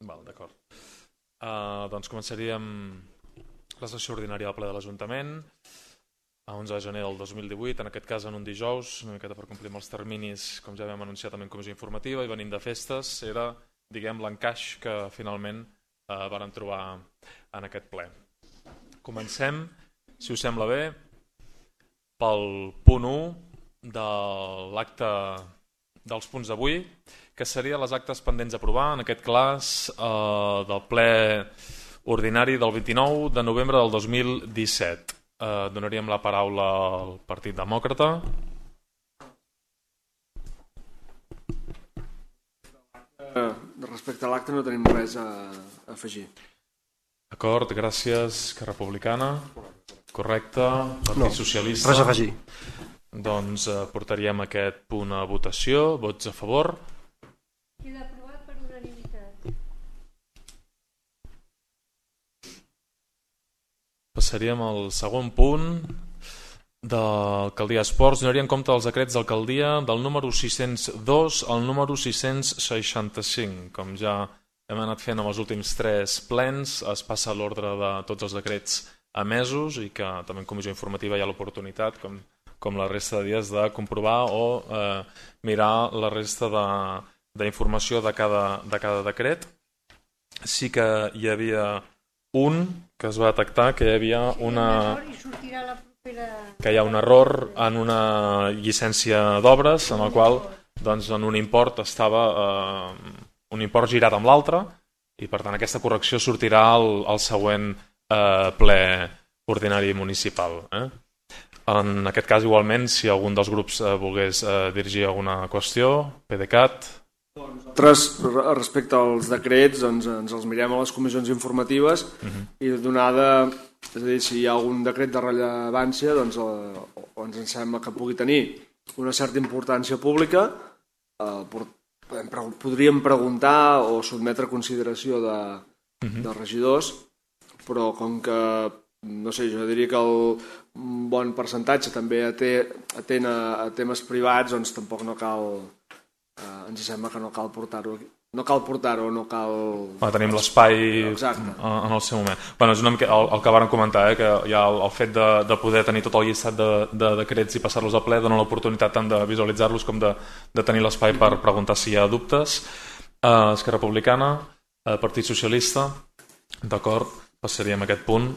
D'acord. Doncs començaríem la sessió ordinària del ple de l'Ajuntament a 11 de gener del 2018, en aquest cas en un dijous, una miqueta per complir amb els terminis, com ja vam anunciar també en comissió informativa, i venint de festes, era, diguem, l'encaix que finalment varen trobar en aquest ple. Comencem, si us sembla bé, pel punt 1 de l'acte dels punts d'avui, que seria les actes pendents d'aprovar, en aquest cas del ple ordinari del 29 de novembre del 2017. Donaríem la paraula al Partit Demòcrata. Respecte a l'acte no tenim res a afegir. D'acord, gràcies. Esquerra Republicana. Correcte. Partit Socialista. Res a afegir. Doncs portaríem aquest punt a votació. Vots a favor? Queda aprovat per unanimitat. Passaríem al segon punt d'Alcaldia Esports. Donaria en compte els decrets d'alcaldia del número 602 al número 665. Com ja hem anat fent amb els últims 3 plens, es passa a l'ordre de tots els decrets emesos i que també en comissió informativa hi ha l'oportunitat, com la resta de dies, de comprovar o mirar la resta d'informació de cada decret. Sí que hi havia un que es va detectar que hi havia que hi ha un error en una llicència d'obres en el qual doncs, en un import estava un import girat amb l'altre i per tant aquesta correcció sortirà al següent ple ordinari municipal. En aquest cas igualment si algun dels grups volgués dirigir alguna qüestió, PDeCAT. Respecte als decrets ens els mirem a les comissions informatives i donada, és a dir, si hi ha algun decret de rellevància doncs, o ens sembla que pugui tenir una certa importància pública, podríem preguntar o sotmetre a consideració de regidors, però com que no sé, jo diria que un bon percentatge també atén a temes privats, doncs tampoc no cal, ens sembla que no cal portar-ho aquí. No cal portar-ho, no cal... Tenim l'espai en el seu moment. És una mica el que vàrem comentar, que hi ha el fet de poder tenir tot el llistat de decrets i passar-los al ple, dona l'oportunitat tant de visualitzar-los com de tenir l'espai per preguntar si hi ha dubtes. Esquerra Republicana, Partit Socialista, d'acord, passaríem a aquest punt.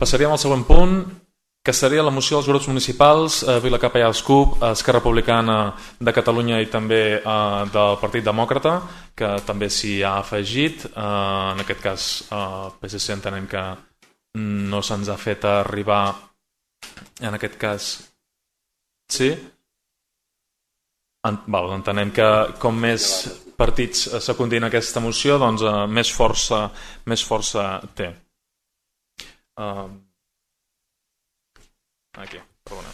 Passaríem al següent punt, que seria la moció dels grups municipals Vila Capellà Escup, Esquerra Republicana de Catalunya i també del Partit Demòcrata, que també s'hi ha afegit. En aquest cas, PSC entenem que no se'ns ha fet arribar, en aquest cas, sí? Entenem que com més partits secundin aquesta moció, doncs més força té. Aquí, perdona.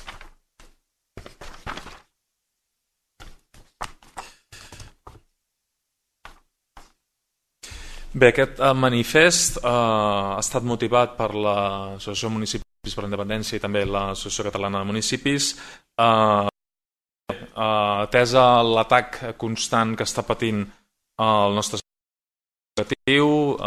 Bé, aquest manifest ha estat motivat per l'Associació de Municipis per la Independència i també l'Associació Catalana de Municipis, atesa l'atac constant que està patint el nostre educatiu,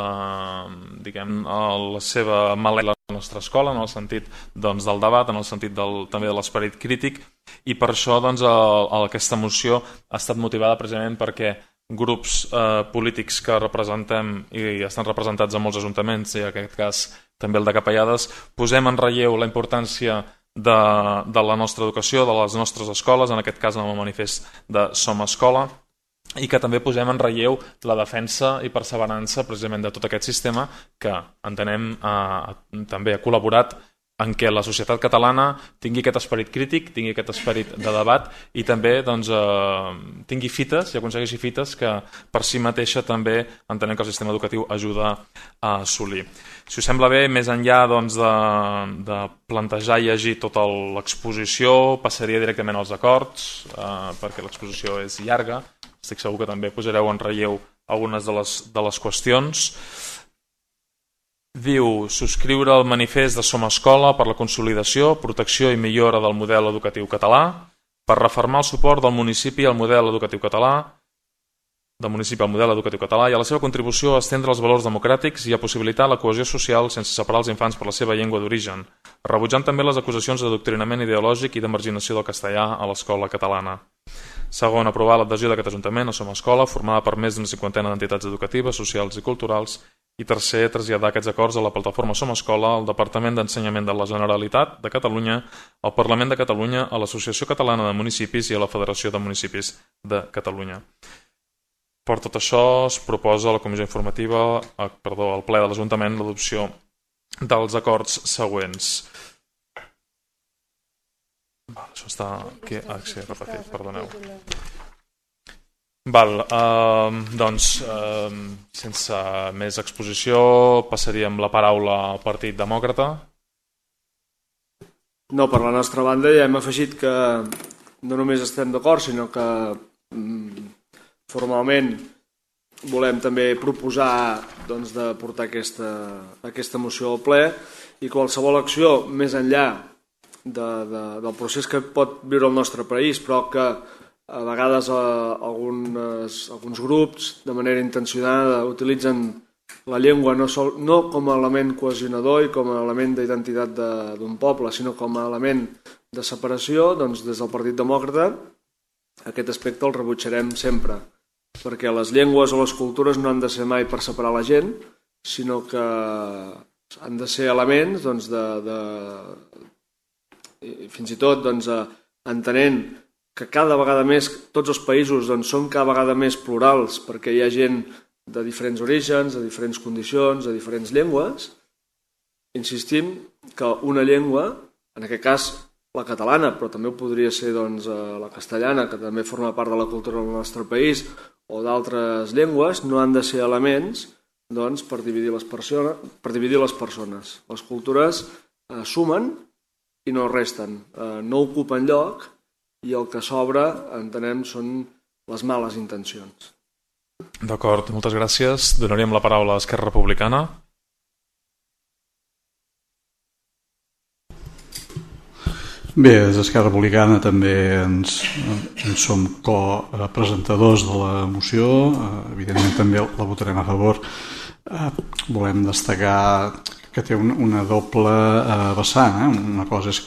diguem, la seva mala la nostra escola, en el sentit doncs, del debat, en el sentit també de l'esperit crític, i per això doncs, aquesta moció ha estat motivada precisament perquè grups polítics que representem i estan representats en molts ajuntaments, i en aquest cas també el de Capellades, posem en relleu la importància de la nostra educació, de les nostres escoles, en aquest cas en el manifest de Som Escola, i que també posem en relleu la defensa i perseverança precisament de tot aquest sistema que entenem també ha col·laborat en què la societat catalana tingui aquest esperit crític, tingui aquest esperit de debat i també doncs, tingui fites i aconsegueixi fites que per si mateixa també entenem que el sistema educatiu ajuda a assolir. Si us sembla bé, més enllà doncs, de plantejar i llegir tota l'exposició, passaria directament als acords, perquè l'exposició és llarga. Estic segur que també posareu en relleu algunes de les qüestions. Diu, subscriure el manifest de Som Escola per la consolidació, protecció i millora del model educatiu català, per refermar el suport del municipi al model educatiu català i a la seva contribució a estendre els valors democràtics i a possibilitar la cohesió social sense separar els infants per la seva llengua d'origen, rebutjant també les acusacions d'adoctrinament ideològic i de marginació del castellà a l'escola catalana. Segon, aprovar l'adhesió d'aquest Ajuntament a Som Escola, formada per més d'una 50 d'entitats educatives, socials i culturals. I tercer, traslladar aquests acords a la plataforma Som Escola, al Departament d'Ensenyament de la Generalitat de Catalunya, al Parlament de Catalunya, a l'Associació Catalana de Municipis i a la Federació de Municipis de Catalunya. Per tot això es proposa a la comissió informativa, al ple de l'Ajuntament, l'adopció dels acords següents. Això està aquí, sí, repetit, perdoneu. Doncs, sense més exposició, passaríem la paraula al Partit Demòcrata. No, per la nostra banda ja hem afegit que no només estem d'acord, sinó que formalment volem també proposar de portar aquesta moció al ple i qualsevol acció més enllà del procés que pot viure el nostre país, però que a vegades alguns grups de manera intencionada utilitzen la llengua no com a element cohesionador i com a element d'identitat d'un poble, sinó com a element de separació. Doncs des del Partit Demòcrata aquest aspecte el rebutjarem sempre, perquè les llengües o les cultures no han de ser mai per separar la gent, sinó que han de ser elements fins i tot entenent que cada vegada més tots els països són cada vegada més plurals perquè hi ha gent de diferents orígens, de diferents condicions, de diferents llengües. Insistim que una llengua, en aquest cas la catalana, però també podria ser la castellana, que també forma part de la cultura del nostre país, o d'altres llengües, no han de ser elements per dividir les persones. Les cultures sumen i no resten, no ocupen lloc i el que sobra, entenem, són les males intencions. D'acord, moltes gràcies. Donaríem la paraula a Esquerra Republicana. Bé, des d'Esquerra Republicana també ens som copresentadors de la moció, evidentment també la votarem a favor. Volem destacar que té una doble vessant. Una cosa és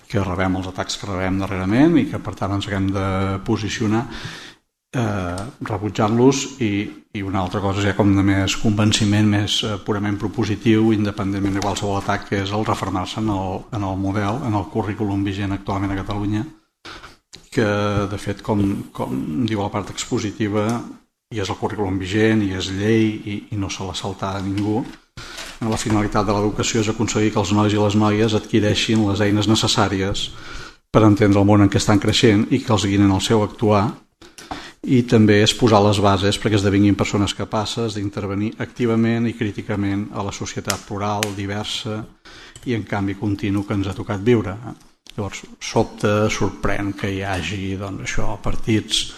que rebem els atacs que rebem darrerament i que per tant ens haguem de posicionar rebutjant-los, i una altra cosa és ja com de més convenciment, més purament propositiu, independentment de qualsevol atac, que és el refermar-se en el model, en el currículum vigent actualment a Catalunya, que de fet, com diu la part expositiva, i és el currículum vigent i és llei i no se l'ha saltat a ningú. La finalitat de l'educació és aconseguir que els nois i les noies adquireixin les eines necessàries per entendre el món en què estan creixent i que els guiïn en el seu actuar, i també és posar les bases perquè esdevinguin persones capaces d'intervenir activament i críticament a la societat plural, diversa i en canvi continu que ens ha tocat viure. Llavors, sorprèn que hi hagi partits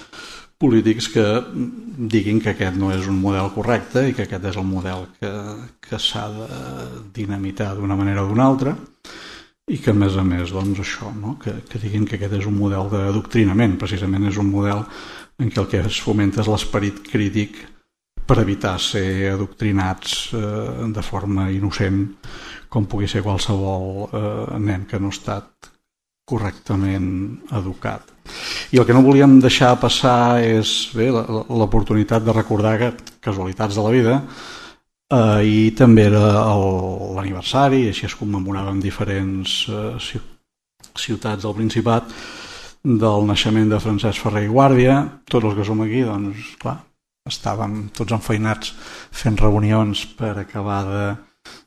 polítics que diguin que aquest no és un model correcte i que aquest és el model que s'ha de dinamitar d'una manera o d'una altra, i que a més que diguin que aquest és un model d'adoctrinament. Precisament és un model en què el que es fomenta és l'esperit crític per evitar ser adoctrinats de forma innocent, com pugui ser qualsevol nen que no ha estat correctament educat. I el que no volíem deixar passar és l'oportunitat de recordar casualitats de la vida. I també era l'aniversari, així es commemorava en diferents ciutats del Principat, del naixement de Francesc Ferrer i Guàrdia. Tots els que som aquí, estàvem tots enfeinats fent reunions per acabar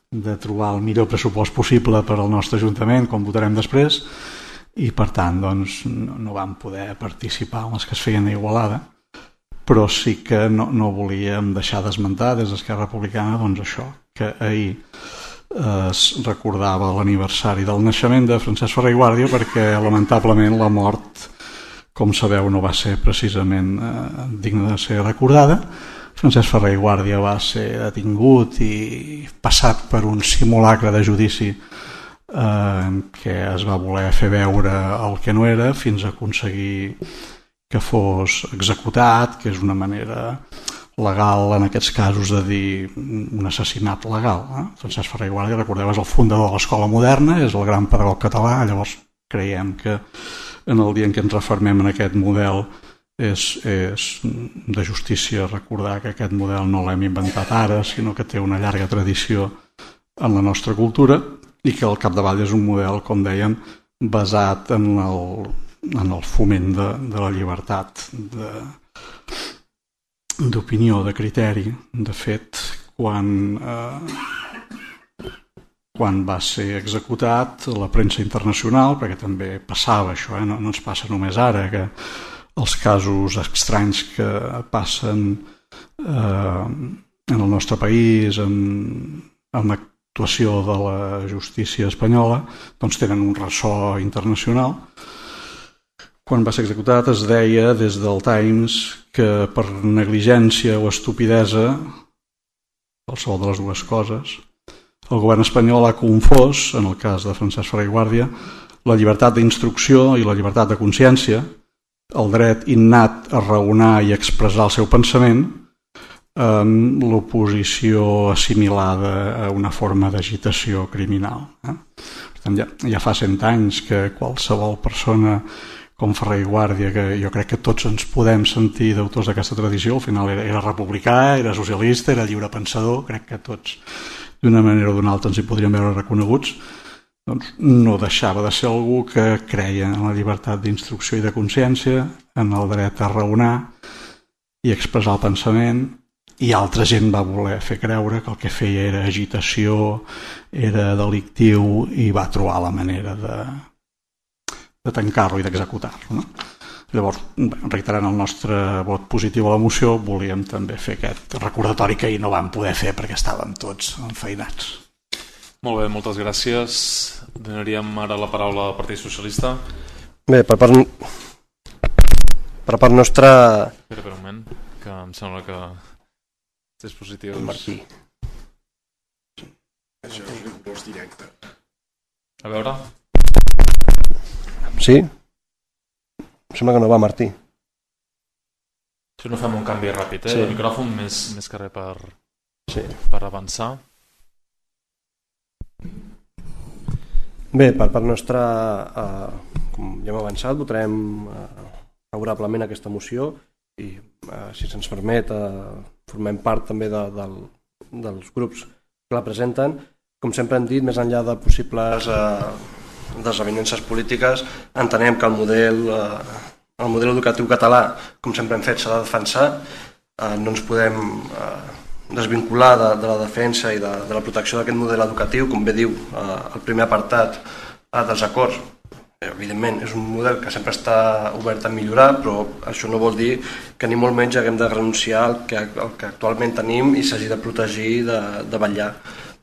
de trobar el millor pressupost possible per al nostre Ajuntament, com votarem després, i per tant no vam poder participar en les que es feien a Igualada, però sí que no volíem deixar d'esmentar des d'Esquerra Republicana això, que ahir es recordava l'aniversari del naixement de Francesc Ferrer i Guàrdia, perquè lamentablement la mort, com sabeu, no va ser precisament digna de ser recordada. Francesc Ferrer i Guàrdia va ser detingut i passat per un simulacre de judici què es va voler fer veure el que no era fins a aconseguir que fos executat, que és una manera legal en aquests casos de dir un assassinat legal. Francesc Ferrer i Guàrdia, recordeu, és el fundador de l'escola moderna, és el gran pedagog català, llavors creiem que en el dia en què ens refermem en aquest model és de justícia recordar que aquest model no l'hem inventat ara, sinó que té una llarga tradició en la nostra cultura i que al capdavall és un model, com dèiem, basat en el foment de la llibertat d'opinió, de criteri. De fet, quan va ser executat, la premsa internacional, perquè també passava això, no ens passa només ara, que els casos estranys que passen en el nostre país, en l'actuació de la justícia espanyola, doncs tenen un ressò internacional. Quan va ser executat es deia des del Times que per negligència o estupidesa, qualsevol de les dues coses, el govern espanyol ha confós, en el cas de Francesc Ferrer i Guàrdia, la llibertat d'instrucció i la llibertat de consciència, el dret innat a raonar i expressar el seu pensament, amb l'oposició assimilada a una forma d'agitació criminal. Per tant, ja fa 100 anys que qualsevol persona com Ferrer i Guàrdia, que jo crec que tots ens podem sentir d'autors d'aquesta tradició, al final era republicà, era socialista, era lliurepensador, crec que tots d'una manera o d'una altra ens hi podríem veure reconeguts, doncs no deixava de ser algú que creia en la llibertat d'instrucció i de consciència, en el dret a raonar i expressar el pensament, i altra gent va voler fer creure que el que feia era agitació, era delictiu i va trobar la manera de tancar-lo i d'executar-lo. Llavors, reiterant el nostre vot positiu a la moció, volíem també fer aquest recordatori que ahir no vam poder fer perquè estàvem tots enfeinats. Molt bé, moltes gràcies. Donaríem ara la paraula al Partit Socialista. Bé, per part nostra... Espera un moment, que em sembla que els dispositius... Martí. Això és un impost directe. A veure... Sí? Em sembla que no va, Martí. Si no fem un canvi ràpid, Sí. El micròfon més que res Sí. per avançar. Bé, per part nostra, com ja hem avançat, votarem favorablement aquesta moció i, si se'ns permet, formem part també dels grups que la presenten. Com sempre hem dit, més enllà de possibles desavinences polítiques, entenem que el model educatiu català, com sempre hem fet, s'ha de defensar. No ens podem desvincular de la defensa i de la protecció d'aquest model educatiu, com bé diu el primer apartat dels acords. Evidentment, és un model que sempre està obert a millorar, però això no vol dir que ni molt menys haguem de renunciar al que actualment tenim i s'hagi de protegir i de vetllar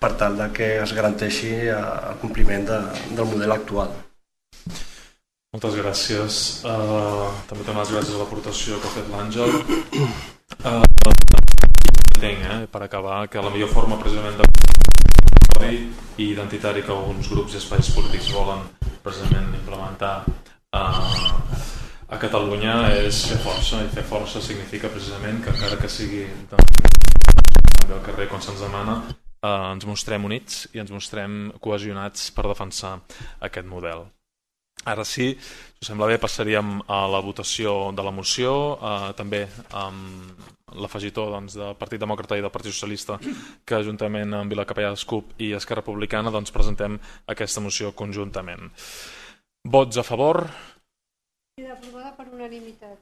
per tal que es garanteixi el compliment del model actual. Moltes gràcies. També donar les gràcies a l'aportació que ha fet l'Àngel. Entenc, per acabar, que la millor forma precisament de i identitari que alguns grups i espais polítics volen precisament implementar a Catalunya és fer força, i fer força significa precisament que encara que sigui també al carrer quan se'ns demana, ens mostrem units i ens mostrem cohesionats per defensar aquest model. Ara sí, si us sembla bé, passaríem a la votació de la moció, també amb l'afegitó del Partit Demòcrata i del Partit Socialista, que juntament amb Vilacapellà, CUP i Esquerra Republicana presentem aquesta moció conjuntament. Vots a favor? Queda aprovada per unanimitat.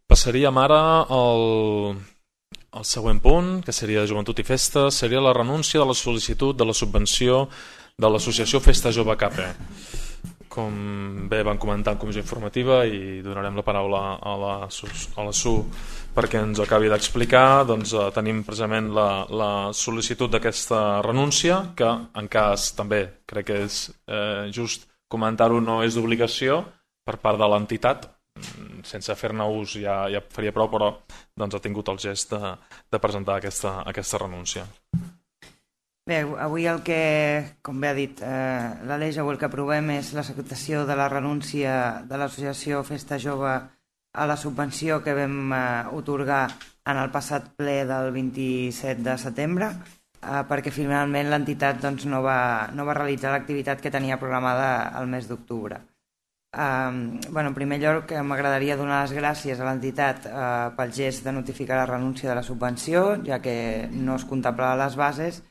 Passaríem ara al següent punt, que seria Joventut i Festes, seria la renúncia de la sol·licitud de la subvenció de l'associació Festa Jove CAPE. Com bé van comentar en comissió informativa, i donarem la paraula a la Su perquè ens ho acabi d'explicar, doncs tenim precisament la sol·licitud d'aquesta renúncia, que en cas també crec que és just comentar-ho, no és d'obligació per part de l'entitat, sense fer-ne ús ja faria prou, però doncs ha tingut el gest de presentar aquesta renúncia. Bé, avui el que, com bé ha dit l'Aleix, avui el que aprovem és l'acceptació de la renúncia de l'associació Festa Jove a la subvenció que vam otorgar en el passat ple del 27 de setembre, perquè finalment l'entitat no va realitzar l'activitat que tenia programada el mes d'octubre. En primer lloc, m'agradaria donar les gràcies a l'entitat pel gest de notificar la renúncia de la subvenció, ja que no es contemplava les bases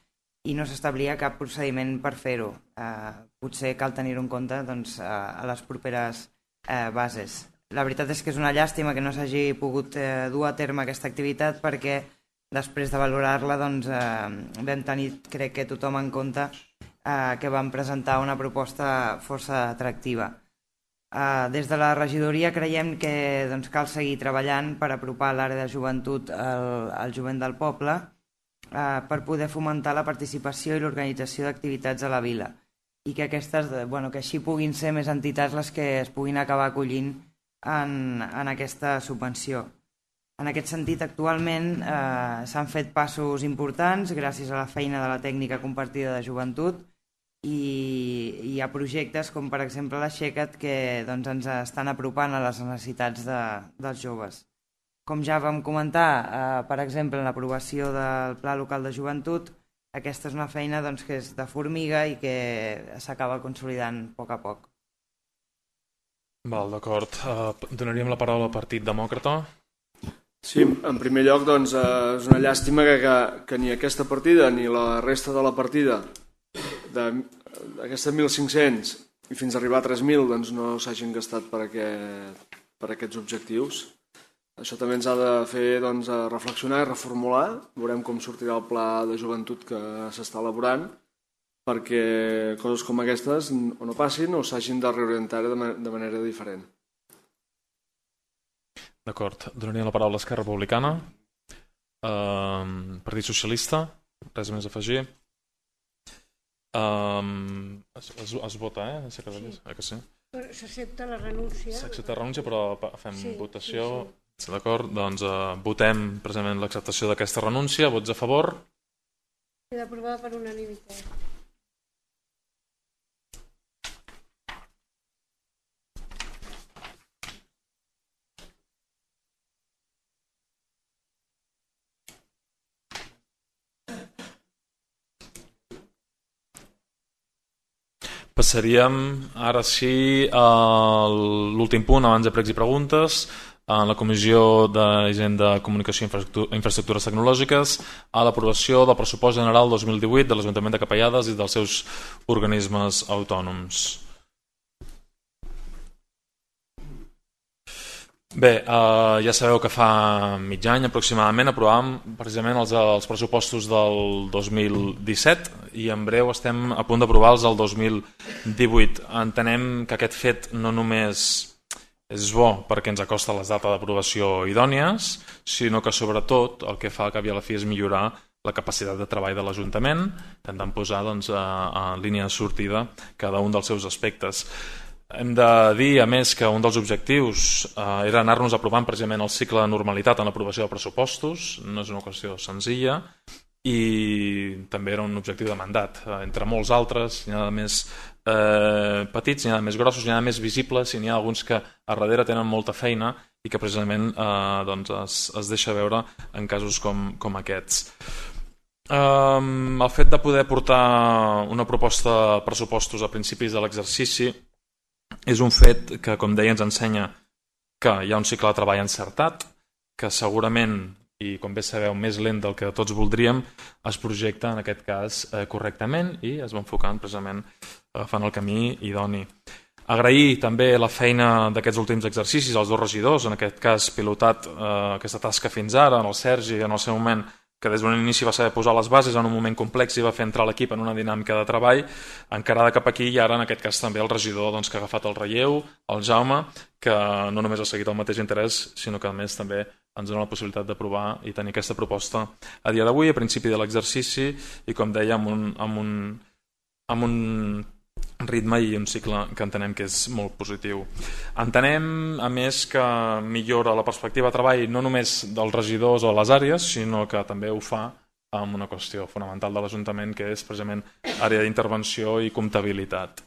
i no s'establia cap procediment per fer-ho. Potser cal tenir-ho en compte a les properes bases. La veritat és que és una llàstima que no s'hagi pogut dur a terme aquesta activitat, perquè després de valorar-la vam tenir, crec que tothom en compte, que vam presentar una proposta força atractiva. Des de la regidoria creiem que cal seguir treballant per apropar l'àrea de joventut al jovent del poble, per poder fomentar la participació i l'organització d'activitats a la vila, i que així puguin ser més entitats les que es puguin acabar acollint en aquesta subvenció. En aquest sentit, actualment s'han fet passos importants gràcies a la feina de la tècnica compartida de joventut, i hi ha projectes com per exemple l'Aixeca't que ens estan apropant a les necessitats dels joves. Com ja vam comentar, per exemple, en l'aprovació del Pla Local de Joventut, aquesta és una feina que és de formiga i que s'acaba consolidant a poc a poc. Val, d'acord. Donaríem la paraula al Partit Demòcrata. Sí, en primer lloc és una llàstima que ni aquesta partida ni la resta de la partida d'aquestes 1.500 i fins a arribar a 3.000 no s'hagin gastat per aquests objectius. Això també ens ha de fer reflexionar i reformular. Veurem com sortirà el pla de joventut que s'està elaborant, perquè coses com aquestes o no passin o s'hagin de reorientar de manera diferent. D'acord. Donaria la paraula a Esquerra Republicana. Partit Socialista. Res més a afegir. Es vota, Sí. S'accepta la renúncia. S'accepta la renúncia, però fem votació. Sí. D'acord, doncs votem precisament l'acceptació d'aquesta renúncia. Vots a favor? Queda aprovada per unanimitat. Passaríem ara sí a l'últim punt abans de pregs i preguntes. En la Comissió d'Hisenda, Comunicació i Infraestructures Tecnològiques a l'aprovació del pressupost general 2018 de l'Ajuntament de Capellades i dels seus organismes autònoms. Bé, ja sabeu que fa mig any aproximadament aprovàvem precisament els pressupostos del 2017 i en breu estem a punt d'aprovar-los el 2018. Entenem que aquest fet no només és bo perquè ens acosta les dates d'aprovació idònies, sinó que sobretot el que fa al cap i a la fi és millorar la capacitat de treball de l'Ajuntament, intentant posar en línia de sortida cada un dels seus aspectes. Hem de dir, a més, que un dels objectius era anar-nos aprovant precisament el cicle de normalitat en l'aprovació de pressupostos, no és una qüestió senzilla, i també era un objectiu de mandat. Entre molts altres, n'hi ha de més petits, n'hi ha de més grossos, n'hi ha de més visibles i n'hi ha alguns que a darrere tenen molta feina i que precisament es deixa veure en casos com aquests. El fet de poder portar una proposta de pressupostos a principis de l'exercici és un fet que, com deia, ens ensenya que hi ha un cicle de treball encertat, que segurament, i com bé sabeu, més lent del que tots voldríem, es projecta en aquest cas correctament i es va enfocant precisament agafant el camí idoni. Agrair també la feina d'aquests últims exercicis als dos regidors, en aquest cas pilotat aquesta tasca fins ara, en el Sergi en el seu moment, que des d'un inici va saber posar les bases en un moment complex i va fer entrar l'equip en una dinàmica de treball encarada cap aquí, i ara en aquest cas també el regidor que ha agafat el relleu, el Jaume, que no només ha seguit el mateix interès, sinó que a més també ens dona la possibilitat d'aprovar i tenir aquesta proposta a dia d'avui, a principi de l'exercici, i com deia, amb un ritme i un cicle que entenem que és molt positiu. Entenem, a més, que millora la perspectiva de treball no només dels regidors o les àrees, sinó que també ho fa amb una qüestió fonamental de l'Ajuntament, que és precisament àrea d'intervenció i comptabilitat.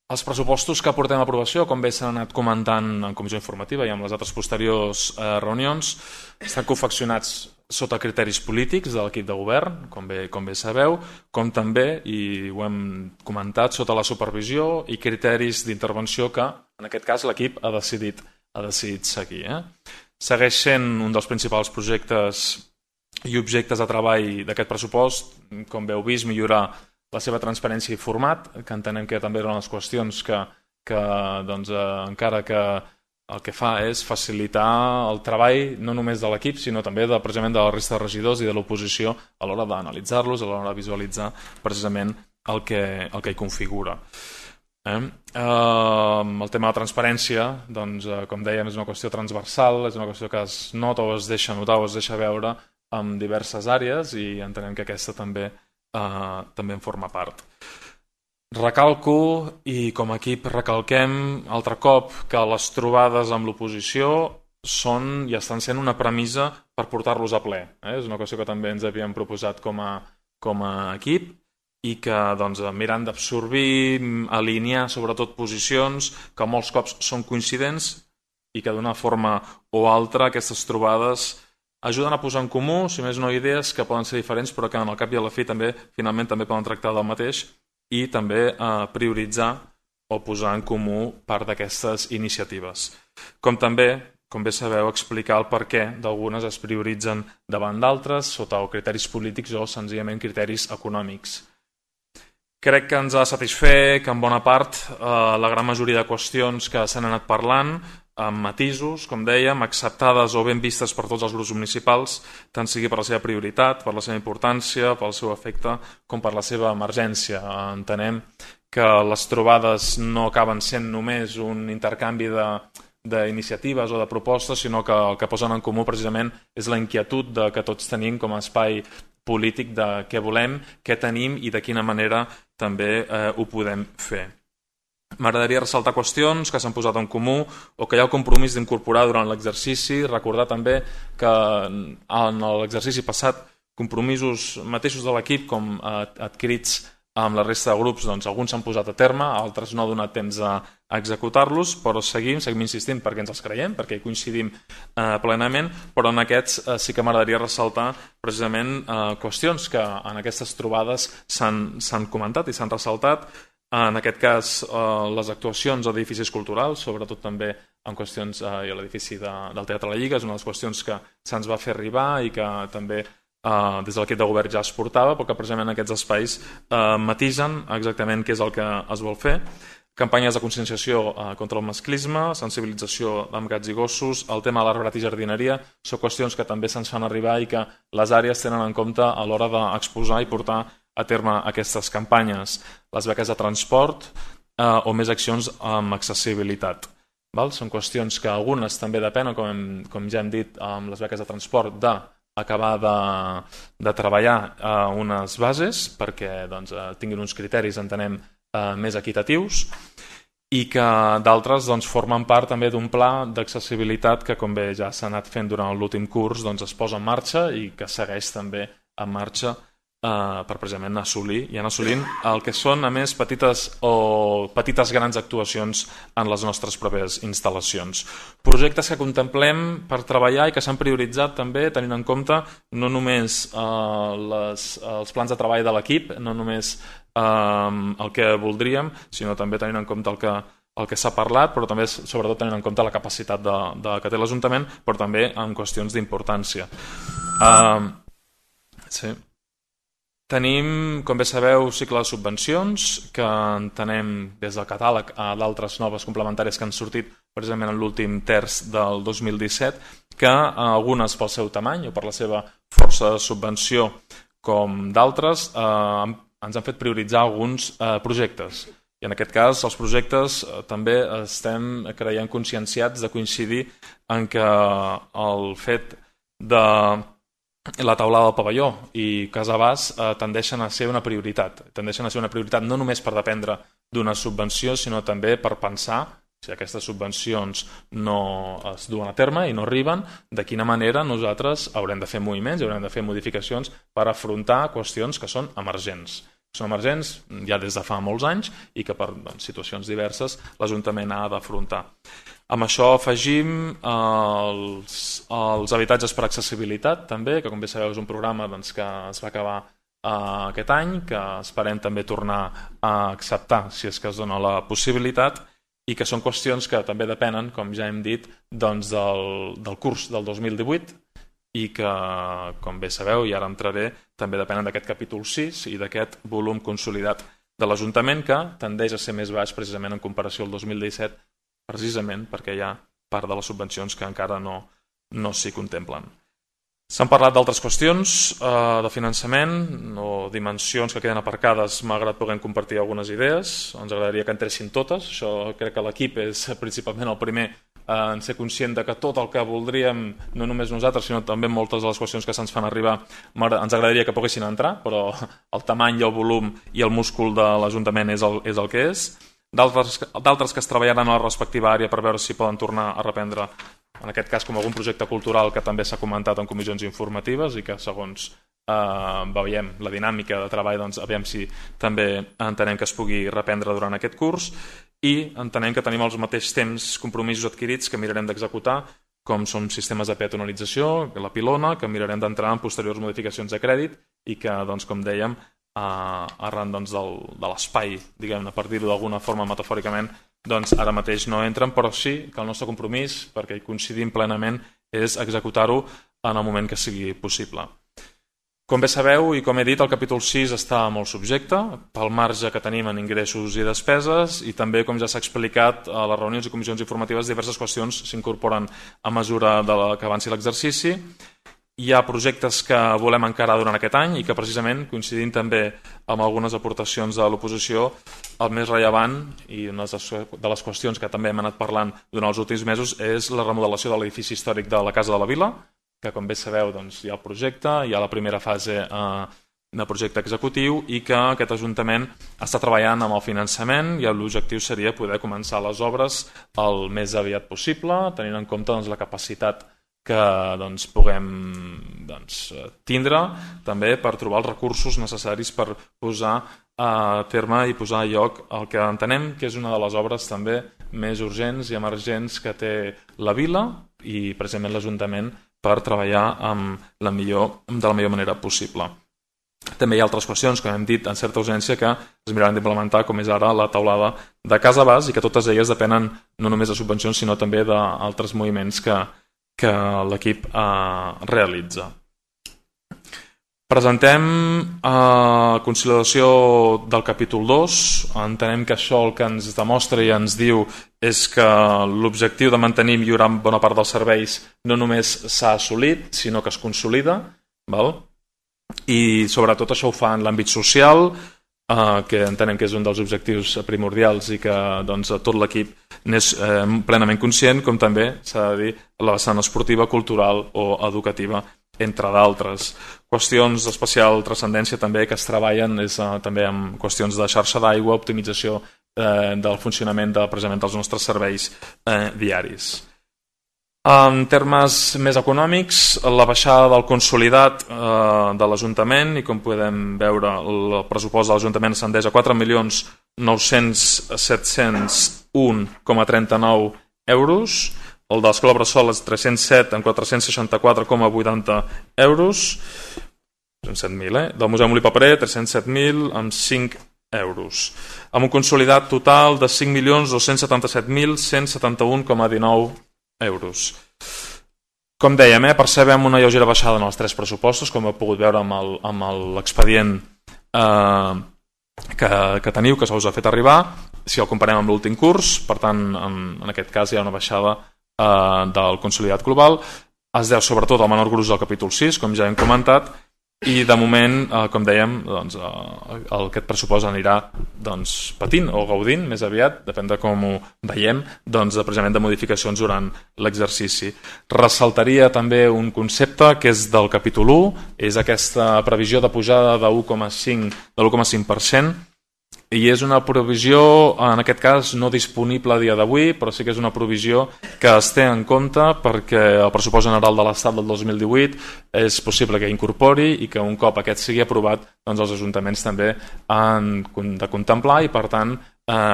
Els pressupostos que portem a aprovació, com bé s'han anat comentant en comissió informativa i amb les altres posteriors reunions, estan confeccionats sota criteris polítics de l'equip de govern, com bé sabeu, com també, i ho hem comentat, sota la supervisió i criteris d'intervenció que, en aquest cas, l'equip ha decidit seguir. Segueix sent un dels principals projectes i objectes de treball d'aquest pressupost, com bé heu vist, millorar la seva transparència i format, que entenem que també eren les qüestions que encara que el que fa és facilitar el treball no només de l'equip, sinó també precisament de la resta de regidors i de l'oposició a l'hora d'analitzar-los, a l'hora de visualitzar precisament el que hi configura. El tema de la transparència, com dèiem, és una qüestió transversal, és una qüestió que es nota o es deixa notar o es deixa veure en diverses àrees i entenem que aquesta també en forma part. Recalco, i com a equip recalquem altre cop, que les trobades amb l'oposició són i estan sent una premissa per portar-los a ple. És una qüestió que també ens havíem proposat com a equip i que mirant d'absorbir, alinear sobretot posicions que molts cops són coincidents i que d'una forma o altra aquestes trobades ajuden a posar en comú, si més no, idees que poden ser diferents però que en el cap i a la fi finalment també poden tractar del mateix i també prioritzar o posar en comú part d'aquestes iniciatives. Com bé sabeu, explicar el perquè d'algunes es prioritzen davant d'altres sota criteris polítics o senzillament criteris econòmics. Crec que ens ha de satisfer que en bona part la gran majoria de qüestions que s'han anat parlant amb matisos, com dèiem, acceptades o ben vistes per tots els grups municipals, tant sigui per la seva prioritat, per la seva importància, pel seu efecte, com per la seva emergència. Entenem que les trobades no acaben sent només un intercanvi d'iniciatives o de propostes, sinó que el que posen en comú precisament és la inquietud que tots tenim com a espai polític de què volem, què tenim i de quina manera també ho podem fer. M'agradaria ressaltar qüestions que s'han posat en comú o que hi ha el compromís d'incorporar durant l'exercici. Recordar també que en l'exercici passat compromisos mateixos de l'equip com adquirits amb la resta de grups, alguns s'han posat a terme, altres no ha donat temps a executar-los, però seguim insistint perquè ens els creiem, perquè hi coincidim plenament, però en aquests sí que m'agradaria ressaltar precisament qüestions que en aquestes trobades s'han comentat i s'han ressaltat. En aquest cas, les actuacions a edificis culturals, sobretot també en qüestions a l'edifici del Teatre La Lliga, és una de les qüestions que se'ns va fer arribar i que també des de l'equip de govern ja es portava, però que precisament aquests espais matisen exactament què és el que es vol fer. Campanyes de conscienciació contra el masclisme, sensibilització amb gats i gossos, el tema de l'arbrat i jardineria, són qüestions que també se'ns fan arribar i que les àrees tenen en compte a l'hora d'exposar i portar a terme aquestes campanyes, les beques de transport o més accions amb accessibilitat. Són qüestions que algunes també depenen, com ja hem dit, amb les beques de transport, d'acabar de treballar unes bases perquè tinguin uns criteris, entenem, més equitatius i que d'altres formen part també d'un pla d'accessibilitat que, com bé ja s'ha anat fent durant l'últim curs, es posa en marxa i que segueix també en marxa per precisament anar assolint el que són, a més, petites grans actuacions en les nostres pròpies instal·lacions. Projectes que contemplem per treballar i que s'han prioritzat també tenint en compte no només els plans de treball de l'equip, no només el que voldríem, sinó també tenint en compte el que s'ha parlat, però també sobretot tenint en compte la capacitat que té l'Ajuntament, però també en qüestions d'importància. Sí. Tenim, com bé sabeu, cicle de subvencions que entenem des del catàleg a d'altres noves complementàries que han sortit precisament en l'últim terç del 2017, que algunes pel seu tamany o per la seva força de subvenció com d'altres ens han fet prioritzar alguns projectes. I en aquest cas els projectes també estem, creiem, conscienciats de coincidir en que el fet de la taulada del pavelló i Casa Bas tendeixen a ser una prioritat. Tendeixen a ser una prioritat no només per dependre d'una subvenció, sinó també per pensar, si aquestes subvencions no es duen a terme i no arriben, de quina manera nosaltres haurem de fer moviments i haurem de fer modificacions per afrontar qüestions que són emergents. Són emergents ja des de fa molts anys i que per situacions diverses l'Ajuntament ha d'afrontar. Amb això afegim els habitatges per accessibilitat també, que com bé sabeu és un programa que es va acabar aquest any, que esperem també tornar a acceptar si és que es dona la possibilitat, i que són qüestions que també depenen, com ja hem dit, del curs del 2018 i que, com bé sabeu, i ara entraré, també depenen d'aquest capítol 6 i d'aquest volum consolidat de l'Ajuntament, que tendeix a ser més baix precisament en comparació al 2017, precisament perquè hi ha part de les subvencions que encara no s'hi contemplen. S'han parlat d'altres qüestions de finançament o dimensions que queden aparcades. M'ha agradat poder compartir algunes idees. Ens agradaria que entressin totes. Això crec que l'equip és principalment el primer en ser conscient de que tot el que voldríem, no només nosaltres, sinó també moltes de les qüestions que se'ns fan arribar, ens agradaria que poguessin entrar, però el tamany i el volum i el múscul de l'Ajuntament és el que és. D'altres que es treballaran a la respectiva àrea per veure si poden tornar a reprendre, en aquest cas com algun projecte cultural que també s'ha comentat en comissions informatives i que segons veiem la dinàmica de treball, doncs aviam si també entenem que es pugui reprendre durant aquest curs, i entenem que tenim els mateixos temps compromisos adquirits que mirarem d'executar, com són sistemes de peatonalització, la pilona, que mirarem d'entrar en posteriors modificacions de crèdit i que, doncs, com dèiem, arran de l'espai, diguem-ne, per dir-ho d'alguna forma metafòricament, doncs ara mateix no entren, però sí que el nostre compromís, perquè hi coincidim plenament, és executar-ho en el moment que sigui possible. Com bé sabeu i com he dit, el capítol 6 està molt subjecte pel marge que tenim en ingressos i despeses i també, com ja s'ha explicat a les reunions i comissions informatives, diverses qüestions s'incorporen a mesura que avanci l'exercici. Hi ha projectes que volem encarar durant aquest any i que precisament, coincidint també amb algunes aportacions de l'oposició, el més rellevant i una de les qüestions que també hem anat parlant durant els últims mesos és la remodelació de l'edifici històric de la Casa de la Vila, que com bé sabeu doncs, hi ha el projecte, hi ha la primera fase de projecte executiu i que aquest Ajuntament està treballant amb el finançament i l'objectiu seria poder començar les obres el més aviat possible, tenint en compte doncs, la capacitat que doncs, puguem tindre també per trobar els recursos necessaris per posar a terme i posar a lloc el que entenem que és una de les obres també més urgents i emergents que té la vila i precisament l'Ajuntament per treballar de la millor manera possible. També hi ha altres qüestions, com hem dit, en certa urgència que es miraran d'implementar, com és ara la taulada de Casa Bas i que totes elles depenen no només de subvencions sinó també d'altres moviments que l'equip realitza. Presentem conciliació del capítol 2. Entenem que això el que ens demostra i ens diu és que l'objectiu de mantenir i millorar bona part dels serveis no només s'ha assolit, sinó que es consolida. I sobretot això ho fa en l'àmbit social, que entenem que és un dels objectius primordials i que doncs, tot l'equip n'és plenament conscient, com també s'ha de dir la vessant esportiva, cultural o educativa, entre d'altres. Qüestions d'especial transcendència també que es treballen és també amb qüestions de xarxa d'aigua, optimització del funcionament precisament dels nostres serveis diaris. En termes més econòmics, la baixada del consolidat de l'Ajuntament i com podem veure el pressupost de l'Ajuntament ascendeix a 4.900.701,39 euros, el d'Escola Bressol és 307 en 464,80 euros, 307.000, del Museu Molí Paperer 307.000 amb 5 euros, amb un consolidat total de 5.277.171,19 euros. Com dèiem, percebem una lleugera baixada en els tres pressupostos, com heu pogut veure amb l'expedient que teniu, que se us ha fet arribar, si el comparem amb l'últim curs. Per tant, en aquest cas hi ha una baixada del consolidat global. Es deu sobretot al menor gruix del capítol 6, com ja hem comentat, i de moment, com dèiem, doncs, aquest pressupost anirà patint o gaudint més aviat, depèn de com ho veiem, precisament de modificacions durant l'exercici. Ressaltaria també un concepte que és del capítol 1, és aquesta previsió de pujada de l'1,5%, i és una provisió, en aquest cas, no disponible a dia d'avui, però sí que és una provisió que es té en compte perquè el pressupost general de l'Estat del 2018 és possible que incorpori i que un cop aquest sigui aprovat, els ajuntaments també han de contemplar i, per tant,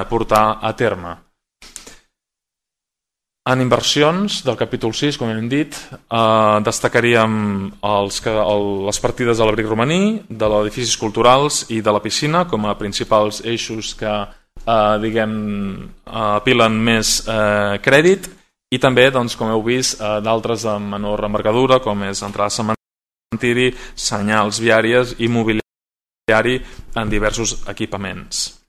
portar a terme. En inversions del capítol 6, com hem dit, destacaríem les partides de l'abric romaní, de les edificis culturals i de la piscina com a principals eixos que apilen més crèdit, i també, com heu vist, d'altres de menor envergadura, com és entrada a cementiri, senyals viàries i mobiliari en diversos equipaments.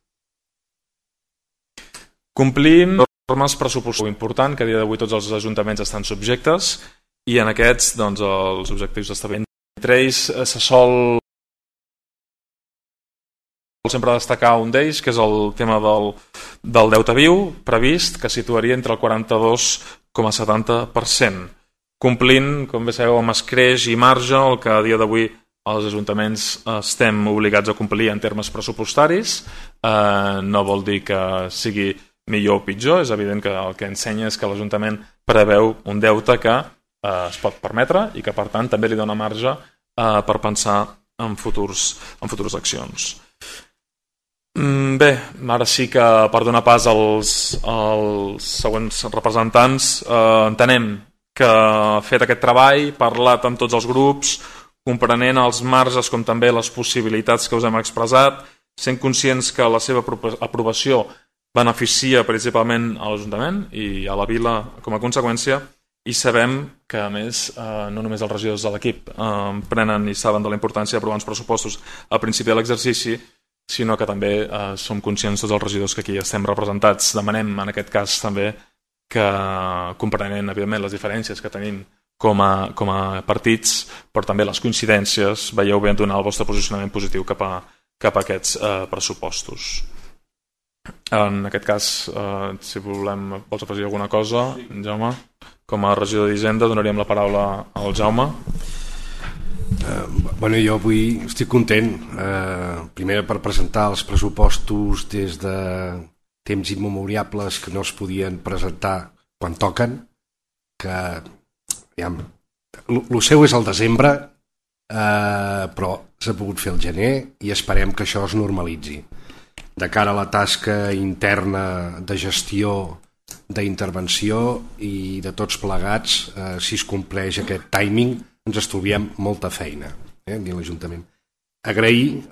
Complim normes pressupostàries important, que a dia d'avui tots els ajuntaments estan subjectes, i en aquests els objectius d'establiment. Entre ells se sol sempre destacar un d'ells, que és el tema del deute viu previst, que situaria entre el 42,70%, complint, com bé sabeu, amb escreix i marge, el que a dia d'avui els ajuntaments estem obligats a complir en termes pressupostaris. No vol dir que sigui millor o pitjor, és evident que el que ensenya és que l'Ajuntament preveu un deute que es pot permetre i que, per tant, també li dona marge per pensar en futures accions. Bé, ara sí que per donar pas als següents representants, entenem que fet aquest treball, parlat amb tots els grups, comprenent els marges com també les possibilitats que us hem expressat, sent conscients que la seva aprovació beneficia principalment a l'Ajuntament i a la Vila com a conseqüència, i sabem que, a més, no només els regidors de l'equip prenen i saben de la importància d'aprovar uns pressupostos al principi de l'exercici, sinó que també som conscients tots els regidors que aquí estem representats. Demanem, en aquest cas, també que, comprenent, evidentment, les diferències que tenim com a partits, però també les coincidències, veieu bé donar el vostre posicionament positiu cap a aquests pressupostos. En aquest cas, si vols afegir alguna cosa, Jaume, com a regidor d'Hisenda, donaríem la paraula al Jaume. Jo avui estic content, primer per presentar els pressupostos des de temps immemoriables que no es podien presentar quan toquen, que el seu és el desembre, però s'ha pogut fer el gener i esperem que això es normalitzi. De cara a la tasca interna de gestió, d'intervenció i de tots plegats, si es compleix aquest timing, ens estalviem molta feina, a l'Ajuntament. Agrair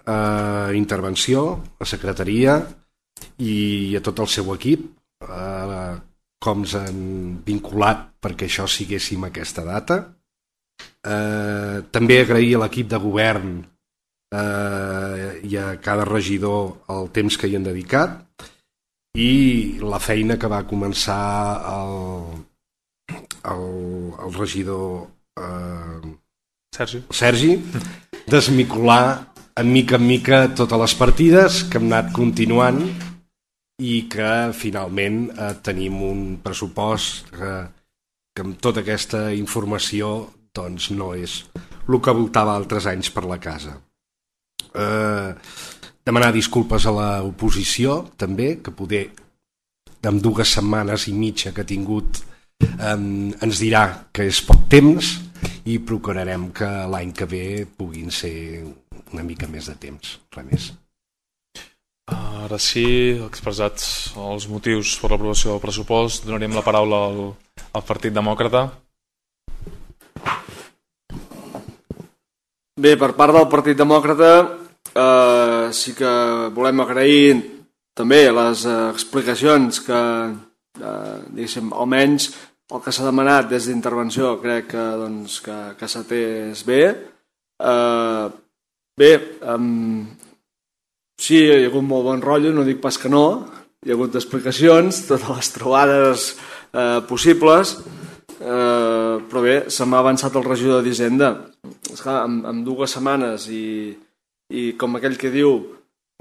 intervenció, a secretaria i a tot el seu equip, com ens han vinculat perquè això siguéssim aquesta data. També agrair a l'equip de govern i a cada regidor el temps que hi han dedicat i la feina que va començar el regidor Sergi, desmicolar en mica totes les partides que hem anat continuant i que finalment tenim un pressupost que amb tota aquesta informació doncs no és el que voltava altres anys per la casa. Demanar disculpes a l'oposició també, que poder amb 2 setmanes i mitja que ha tingut ens dirà que és poc temps i procurarem que l'any que ve puguin ser una mica més de temps, res més. Ara sí, expressats els motius per l'aprovació del pressupost, donaríem la paraula al Partit Demòcrata. Bé, per part del Partit Demòcrata sí que volem agrair també les explicacions que, diguéssim, almenys el que s'ha demanat des d'intervenció crec que s'ha atès bé. Sí, hi ha hagut molt bon rotllo, no dic pas que no, hi ha hagut explicacions, totes les trobades possibles. Però bé, se m'ha avançat el regidor d'Hisenda. Esclar, amb 2 setmanes i com aquell que diu,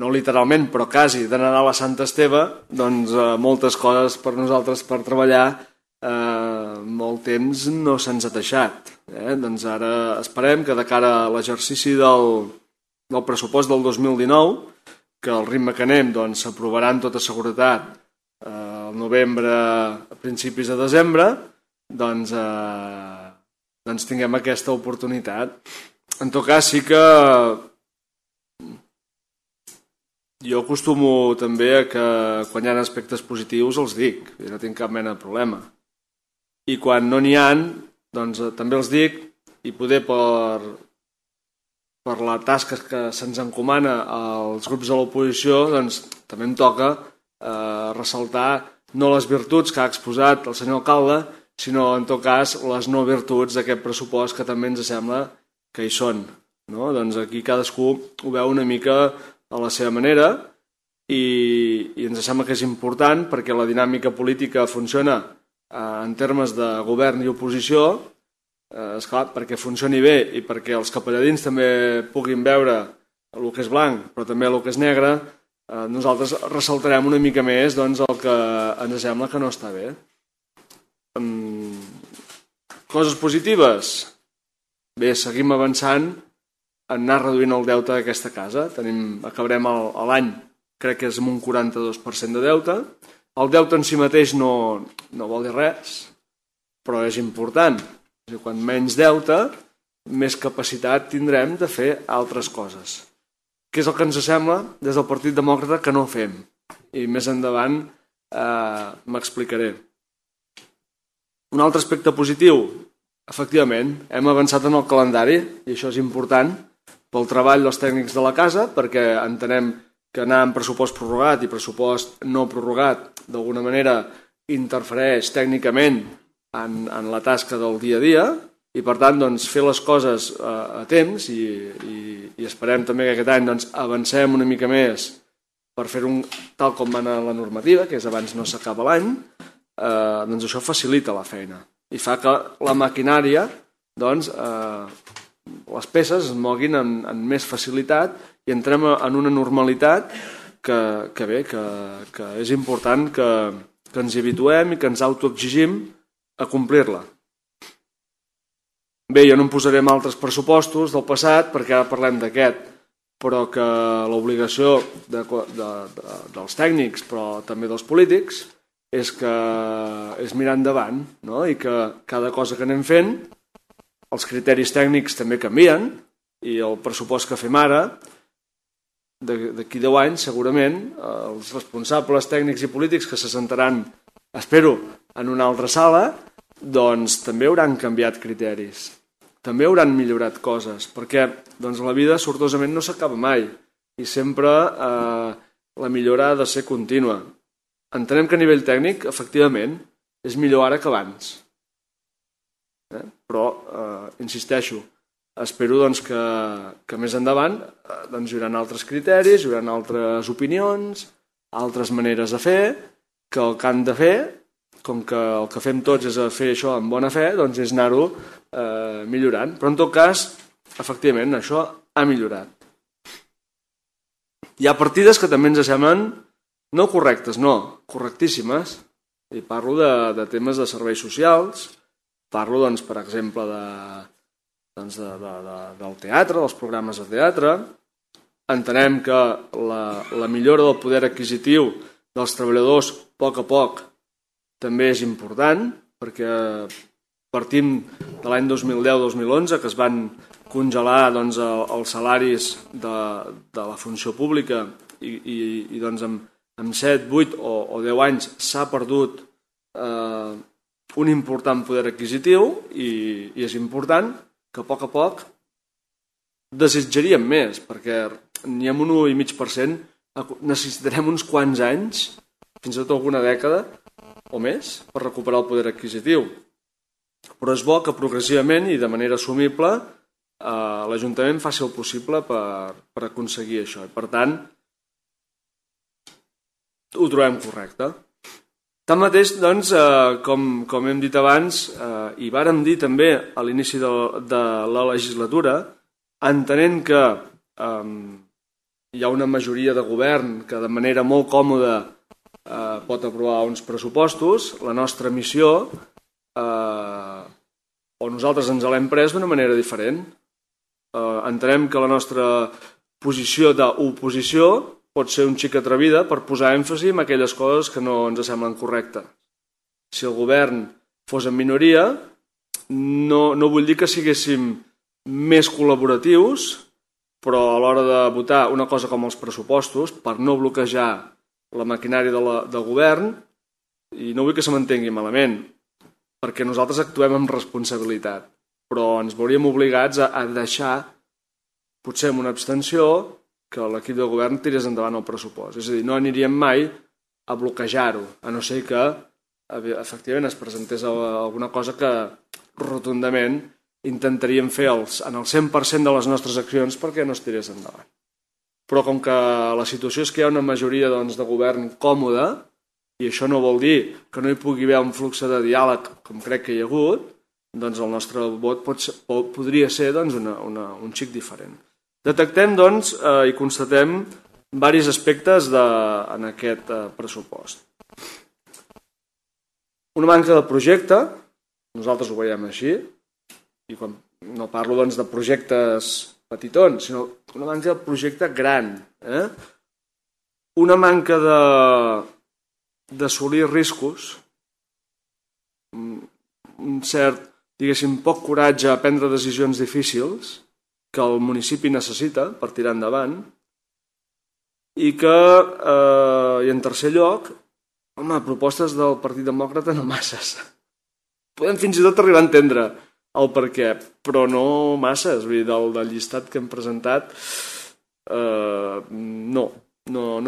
no literalment, però quasi, de Nadal a Sant Esteve, doncs moltes coses per nosaltres per treballar, molt temps no se'ns ha deixat. Doncs ara esperem que de cara a l'exercici del pressupost del 2019, que al ritme que anem s'aprovarà amb tota seguretat al novembre, a principis de desembre, doncs tinguem aquesta oportunitat. En tot cas, sí que jo acostumo també a que quan hi ha aspectes positius els dic, i no tinc cap mena de problema. I quan no n'hi ha, doncs també els dic, i poder per la tasca que se'ns encomana als grups de l'oposició, doncs també em toca ressaltar no les virtuts que ha exposat el senyor alcalde, sinó en tot cas les no virtuts d'aquest pressupost que també ens sembla que hi són. Doncs aquí cadascú ho veu una mica a la seva manera i ens sembla que és important perquè la dinàmica política funciona en termes de govern i oposició, esclar, perquè funcioni bé i perquè els capelladins també puguin veure el que és blanc però també el que és negre, nosaltres ressaltarem una mica més el que ens sembla que no està bé. Coses positives? Bé, seguim avançant en anar reduint el deute d'aquesta casa. Acabarem l'any, crec que és amb un 42% de deute. El deute en si mateix no vol dir res, però és important. Quan menys deute, més capacitat tindrem de fer altres coses. Què és el que ens sembla des del Partit Demòcrata que no fem? I més endavant m'explicaré. Un altre aspecte positiu, efectivament, hem avançat en el calendari i això és important pel treball dels tècnics de la casa perquè entenem que anar amb pressupost prorrogat i pressupost no prorrogat d'alguna manera interfereix tècnicament en la tasca del dia a dia i per tant fer les coses a temps i esperem també que aquest any avancem una mica més per fer-ho tal com va anar la normativa, que és abans no s'acaba l'any, doncs això facilita la feina i fa que la maquinària, les peces es moguin amb més facilitat i entrem en una normalitat que bé, que és important que ens hi habituem i que ens autoexigim a complir-la. Bé, jo no em posaré en altres pressupostos del passat perquè ara parlem d'aquest, però que l'obligació dels tècnics, però també dels polítics, és mirar endavant, no? I que cada cosa que anem fent, els criteris tècnics també canvien i el pressupost que fem ara, d'aquí 10 anys segurament, els responsables tècnics i polítics que se sentaran, espero, en una altra sala, doncs també hauran canviat criteris, també hauran millorat coses, perquè la vida sortosament no s'acaba mai i sempre la millora ha de ser contínua. Entenem que a nivell tècnic, efectivament, és millor ara que abans. Però, insisteixo, espero que més endavant hi haurà altres criteris, hi haurà altres opinions, altres maneres de fer, que el que han de fer, com que el que fem tots és fer això amb bona fe, doncs és anar-ho millorant. Però en tot cas, efectivament, això ha millorat. Hi ha partides que també ens semblen no correctes, no, correctíssimes. I parlo de temes de serveis socials, parlo, per exemple, del teatre, dels programes de teatre. Entenem que la millora del poder adquisitiu dels treballadors, a poc, també és important, perquè partim de l'any 2010-2011, que es van congelar els salaris de la funció pública i en 7, 8 o 10 anys s'ha perdut un important poder adquisitiu i és important que a poc desitjaríem més, perquè n'hi ha un 1,5%, necessitarem uns quants anys, fins i tot alguna dècada o més, per recuperar el poder adquisitiu. Però és bo que progressivament i de manera assumible l'Ajuntament faci el possible per aconseguir això. I per tant, ho trobem correcte. Tanmateix, doncs, com hem dit abans, i vàrem dir també a l'inici de la legislatura, entenent que hi ha una majoria de govern que de manera molt còmoda pot aprovar uns pressupostos, la nostra missió, o nosaltres ens l'hem pres d'una manera diferent. Entenem que la nostra posició d'oposició pot ser un xic atrevida per posar èmfasi en aquelles coses que no ens semblen correctes. Si el govern fos en minoria, no vull dir que siguéssim més col·laboratius, però a l'hora de votar una cosa com els pressupostos, per no bloquejar la maquinària del govern, i no vull que se m'entengui malament, perquè nosaltres actuem amb responsabilitat, però ens veuríem obligats a deixar, potser amb una abstenció, que l'equip de govern tirés endavant el pressupost. És a dir, no aniríem mai a bloquejar-ho, a no ser que efectivament es presentés alguna cosa que rotundament intentaríem fer en el 100% de les nostres accions perquè no es tirés endavant. Però com que la situació és que hi ha una majoria de govern còmoda, i això no vol dir que no hi pugui haver un flux de diàleg com crec que hi ha hagut, doncs el nostre vot podria ser un xic diferent. Detectem i constatem diversos aspectes en aquest pressupost. Una manca de projecte, nosaltres ho veiem així, i quan no parlo de projectes petitons, sinó una manca de projecte gran. Una manca d'assolir riscos, un cert, diguéssim, poc coratge a prendre decisions difícils que el municipi necessita per tirar endavant, i que, i en tercer lloc, propostes del Partit Demòcrata no masses. Podem fins i tot arribar a entendre el per què, però no masses. Vull dir, del llistat que hem presentat, no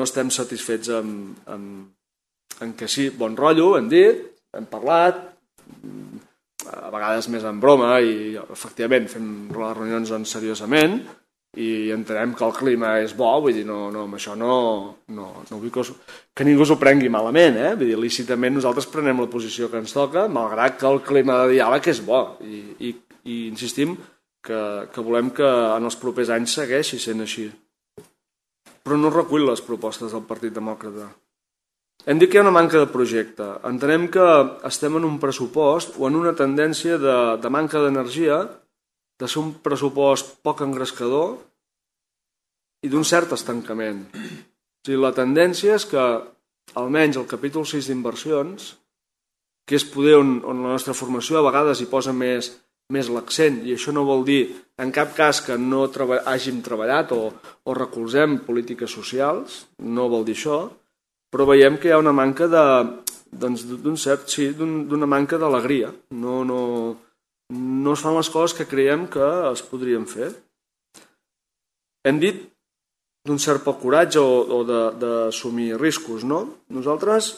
estem satisfets en que sí, bon rotllo, hem dit, hem parlat, a vegades més en broma, i efectivament fem les reunions seriosament, i entenem que el clima és bo, vull dir, amb això no vull que ningú s'ho prengui malament, vull dir, lícitament nosaltres prenem la posició que ens toca, malgrat que el clima de diàleg és bo, i insistim que volem que en els propers anys segueixi sent així. Però no recull les propostes del Partit Demòcrata. Hem dit que hi ha una manca de projecte. Entenem que estem en un pressupost o en una tendència de manca d'energia, de ser un pressupost poc engrescador i d'un cert estancament. O sigui, la tendència és que, almenys el capítol 6 d'inversions, que és poder on la nostra formació a vegades hi posa més l'accent, i això no vol dir en cap cas que no hàgim treballat o recolzem polítiques socials, no vol dir això, però veiem que hi ha una manca d'una manca d'alegria. No es fan les coses que creiem que es podrien fer. Hem dit d'un cert poc coratge o d'assumir riscos, no? Nosaltres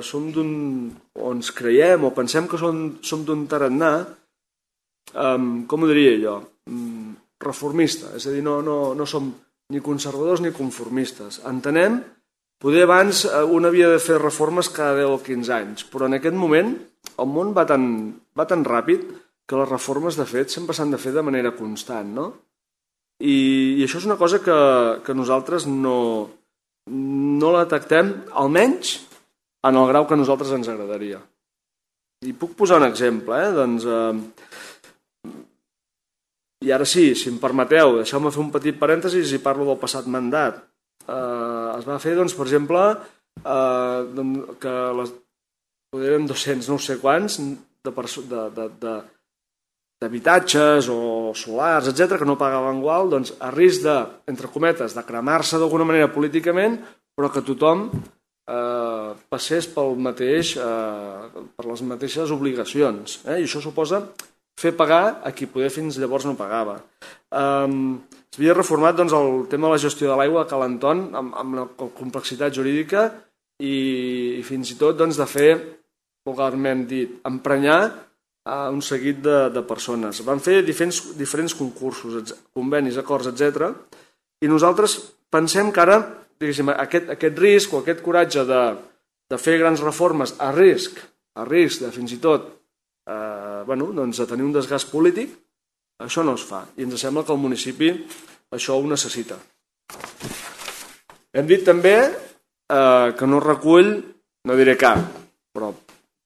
som o ens creiem o pensem que som d'un tarannà, com ho diria jo, reformista. És a dir, no som ni conservadors ni conformistes. Entenem, poder abans un havia de fer reformes cada 10 o 15 anys, però en aquest moment el món va tan ràpid que les reformes, de fet, sempre s'han de fer de manera constant, no? I això és una cosa que nosaltres no la detectem, almenys en el grau que a nosaltres ens agradaria. I puc posar un exemple, i ara sí, si em permeteu, deixeu-me fer un petit parèntesis i parlo del passat mandat. Es va fer, per exemple, que eren 200, no sé quants, d'habitatges o solars, etc., que no pagaven igual, a risc de, entre cometes, de cremar-se d'alguna manera políticament, però que tothom passés per les mateixes obligacions. I això suposa fer pagar a qui poder fins llavors no pagava. S'havia reformat el tema de la gestió de l'aigua a Cal Anton amb la complexitat jurídica i fins i tot de fer, vulgarment dit, emprenyar un seguit de persones. Van fer diferents concursos, convenis, acords, etc. I nosaltres pensem que ara aquest risc o aquest coratge de fer grans reformes a risc de fins i tot de tenir un desgast polític, això no es fa. I ens sembla que el municipi això ho necessita. Hem dit també que no recull, no diré cap, però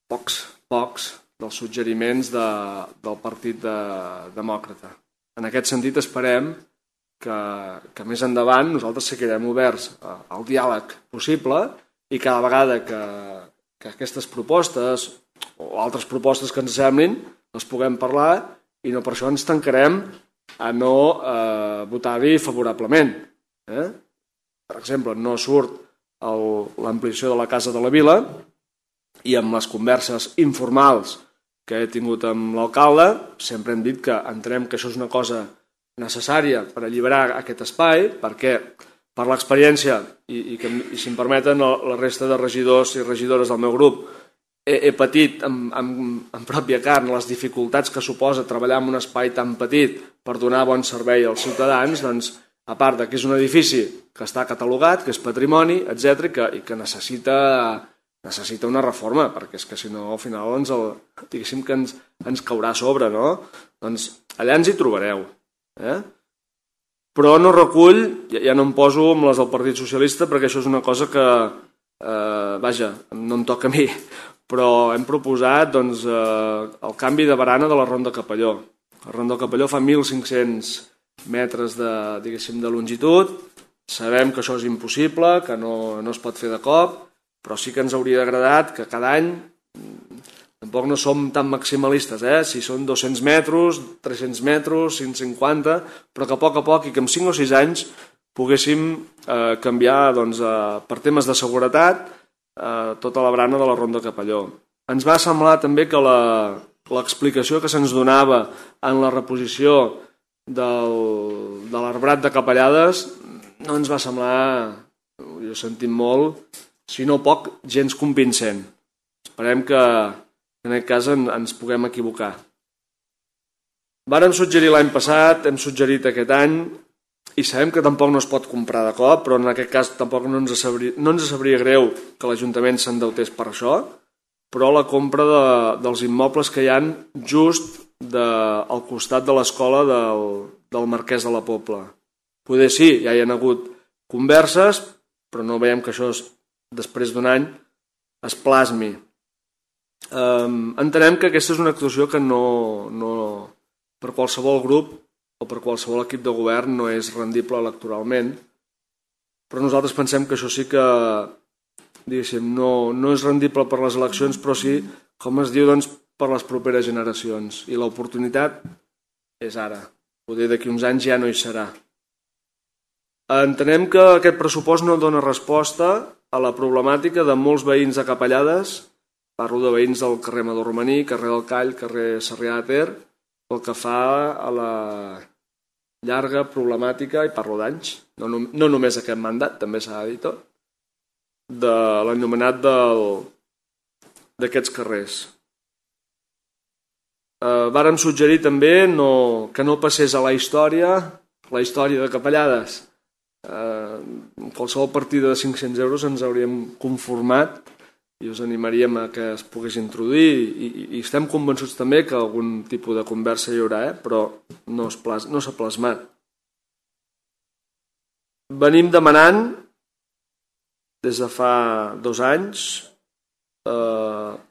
pocs dels suggeriments del Partit Demòcrata. En aquest sentit esperem que més endavant nosaltres seguirem oberts al diàleg possible i cada vegada que aquestes propostes o altres propostes que ens semblin les puguem parlar i no per això ens tancarem a no votar-hi favorablement. Per exemple, no surt l'ampliació de la Casa de la Vila i amb les converses informals que he tingut amb l'alcalde sempre hem dit que entenem que això és una cosa necessària per alliberar aquest espai perquè per l'experiència i si em permeten la resta de regidors i regidores del meu grup he patit en pròpia carn les dificultats que suposa treballar en un espai tan petit per donar bon servei als ciutadans, doncs a part que és un edifici que està catalogat, que és patrimoni, etc., i que necessita una reforma, perquè és que si no al final diguéssim que ens caurà a sobre, no? Doncs allà ens hi trobareu. Però no recull, ja no em poso amb les del Partit Socialista perquè això és una cosa que, no em toca a mi, però hem proposat el canvi de barana de la Ronda Capelló. La Ronda Capelló fa 1.500 metres de longitud, sabem que això és impossible, que no es pot fer de cop, però sí que ens hauria agradat que cada any, tampoc no som tan maximalistes, si són 200 metres, 300 metres, 150, però que a poc i que en 5 o 6 anys poguéssim canviar per temes de seguretat tota la barana de la Ronda Capelló. Ens va semblar també que l'explicació que se'ns donava en la reposició de l'arbrat de Capellades no ens va semblar, jo sentim molt, si no poc, gens convincent. Esperem que en aquest cas ens puguem equivocar. Vàrem suggerir l'any passat, hem suggerit aquest any, i sabem que tampoc no es pot comprar de cop, però en aquest cas tampoc no ens sabria greu que l'Ajuntament s'endeutés per això, però la compra dels immobles que hi ha just al costat de l'escola del Marquès de la Pobla. Poder sí, ja hi ha hagut converses, però no veiem que això després d'un any es plasmi. Entenem que aquesta és una actuació que no per qualsevol grup o per qualsevol equip de govern no és rendible electoralment, però nosaltres pensem que això sí que no és rendible per les eleccions, però sí, com es diu, per les properes generacions. I l'oportunitat és ara. Poder d'aquí uns anys ja no hi serà. Entenem que aquest pressupost no dona resposta a la problemàtica de molts veïns de Capellades, parlo de veïns del carrer Amador Romaní, carrer del Call, carrer Sarrià de Ter, pel que fa a la llarga problemàtica, i parlo d'anys, no només aquest mandat, també s'ha de dir tot, de l'anomenat d'aquests carrers. Vàrem suggerir també que no passés a la història de Capellades. Qualsevol partida de 500 euros ens hauríem conformat i us animaríem a que es pogués introduir i estem convençuts també que algun tipus de conversa hi haurà, però no s'ha plasmat. Venim demanant des de fa 2 anys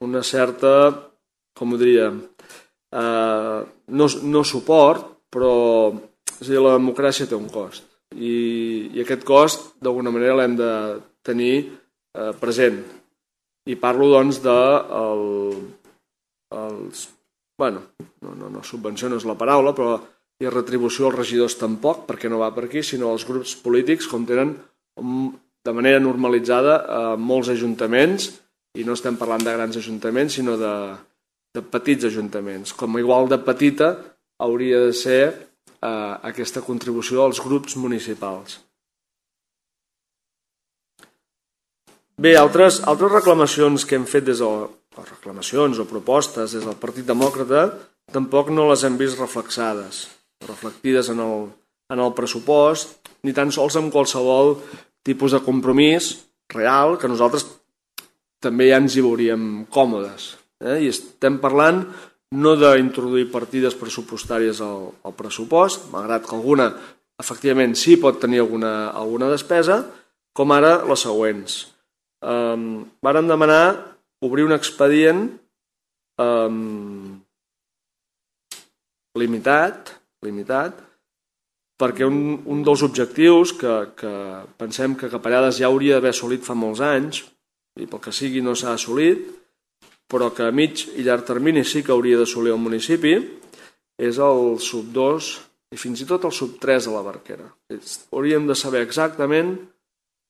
una certa, com ho diríem, no suport, però la democràcia té un cost i aquest cost d'alguna manera l'hem de tenir present i parlo de subvenció no és la paraula, però i retribució als regidors tampoc, perquè no va per aquí, sinó als grups polítics com tenen de manera normalitzada molts ajuntaments, i no estem parlant de grans ajuntaments sinó de petits ajuntaments, com igual de petita hauria de ser aquesta contribució als grups municipals. Bé, altres reclamacions que hem fet reclamacions o propostes des del Partit Demòcrata tampoc no les hem vist reflectides en el pressupost, ni tan sols en qualsevol tipus de compromís real que nosaltres també ja ens hi veuríem còmodes. I estem parlant no d'introduir partides pressupostàries al pressupost, malgrat que alguna efectivament sí pot tenir alguna despesa, com ara les següents. Vàrem demanar obrir un expedient limitat, perquè un dels objectius que pensem que Capellades ja hauria d'haver assolit fa molts anys, i pel que sigui no s'ha assolit, però que a mig i llarg termini sí que hauria d'assolir el municipi, és el sub 2 i fins i tot el sub 3 de la Barquera. Hauríem de saber exactament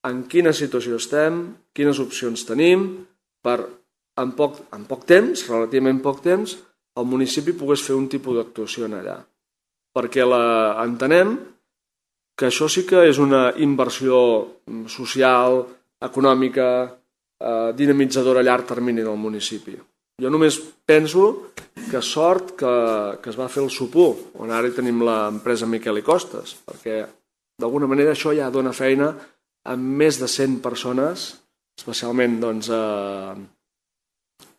en quina situació estem, quines opcions tenim, per en poc temps, relativament poc temps, el municipi pogués fer un tipus d'actuació allà. Perquè entenem que això sí que és una inversió social, econòmica, dinamitzadora a llarg termini del municipi. Jo només penso que sort que es va fer el Sopur, on ara hi tenim l'empresa Miquel i Costes, perquè d'alguna manera això ja dona feina a més de 100 persones, especialment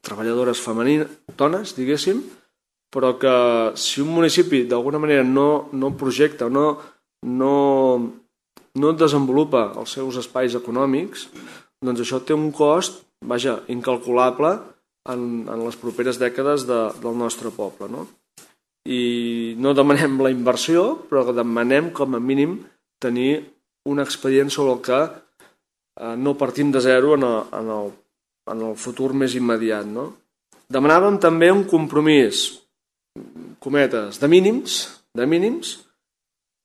treballadores femenines, dones, diguéssim, però que si un municipi d'alguna manera no projecta o no desenvolupa els seus espais econòmics, doncs això té un cost, incalculable en les properes dècades del nostre poble. No? I no demanem la inversió, però demanem com a mínim tenir un expedient sobre el que no partim de zero en el futur més immediat. No? Demanàvem també un compromís, cometes, de mínims,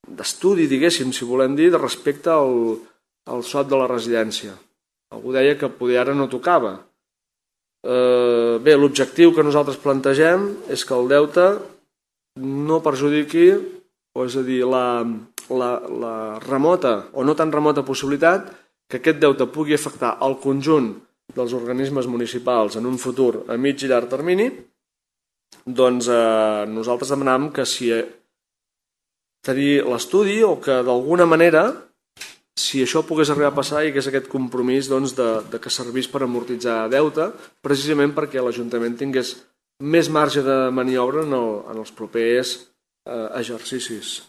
d'estudi, diguéssim, si volem dir, de respecte al sot de la residència. Algú deia que poder ara no tocava. Bé, l'objectiu que nosaltres plantegem és que el deute no perjudiqui, o és a dir, la remota o no tan remota possibilitat que aquest deute pugui afectar el conjunt dels organismes municipals en un futur a mig i llarg termini, doncs nosaltres demanàvem que si tenir l'estudi o que d'alguna manera, si això pogués arribar a passar, hi hagués aquest compromís de que servís per amortitzar deute, precisament perquè l'Ajuntament tingués més marge de maniobra en els propers exercicis.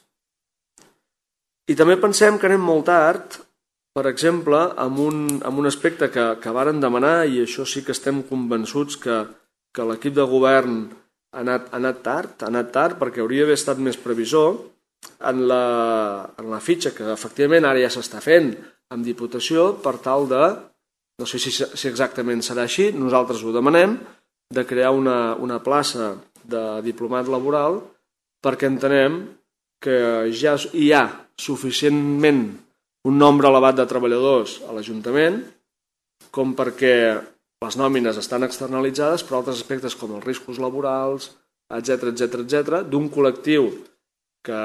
I també pensem que anem molt tard, per exemple, amb un aspecte que varen demanar, i això sí que estem convençuts que l'equip de govern ha anat tard perquè hauria d'haver estat més previsor, en la fitxa que efectivament ara ja s'està fent amb Diputació per tal de, no sé si exactament serà així, nosaltres ho demanem, de crear una plaça de diplomat laboral perquè entenem que ja hi ha suficientment un nombre elevat de treballadors a l'Ajuntament com perquè les nòmines estan externalitzades per altres aspectes com els riscos laborals, etc., d'un col·lectiu que,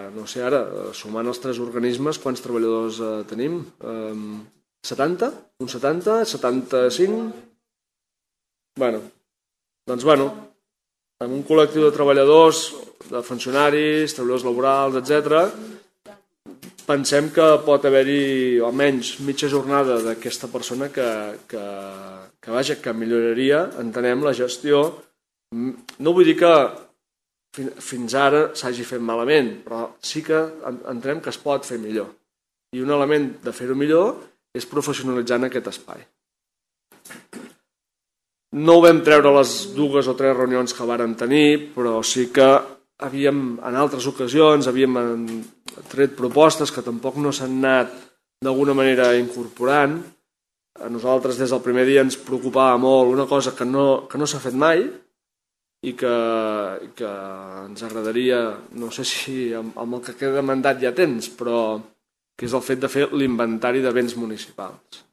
no sé ara, sumant els 3 organismes, quants treballadors tenim? 70? Uns 70? 75? Doncs amb un col·lectiu de treballadors, de funcionaris, treballadors laborals, etc., pensem que pot haver-hi almenys mitja jornada d'aquesta persona que milloraria, entenem, la gestió. No vull dir que fins ara s'hagi fet malament, però sí que entenem que es pot fer millor. I un element de fer-ho millor és professionalitzar en aquest espai. No ho vam treure a les 2 o 3 reunions que vàrem tenir, però sí que en altres ocasions havíem tret propostes que tampoc no s'han anat d'alguna manera incorporant. A nosaltres des del primer dia ens preocupava molt una cosa que no s'ha fet mai, i que ens agradaria, no sé si amb el que queda de mandat ja tens, però que és el fet de fer l'inventari de béns municipals.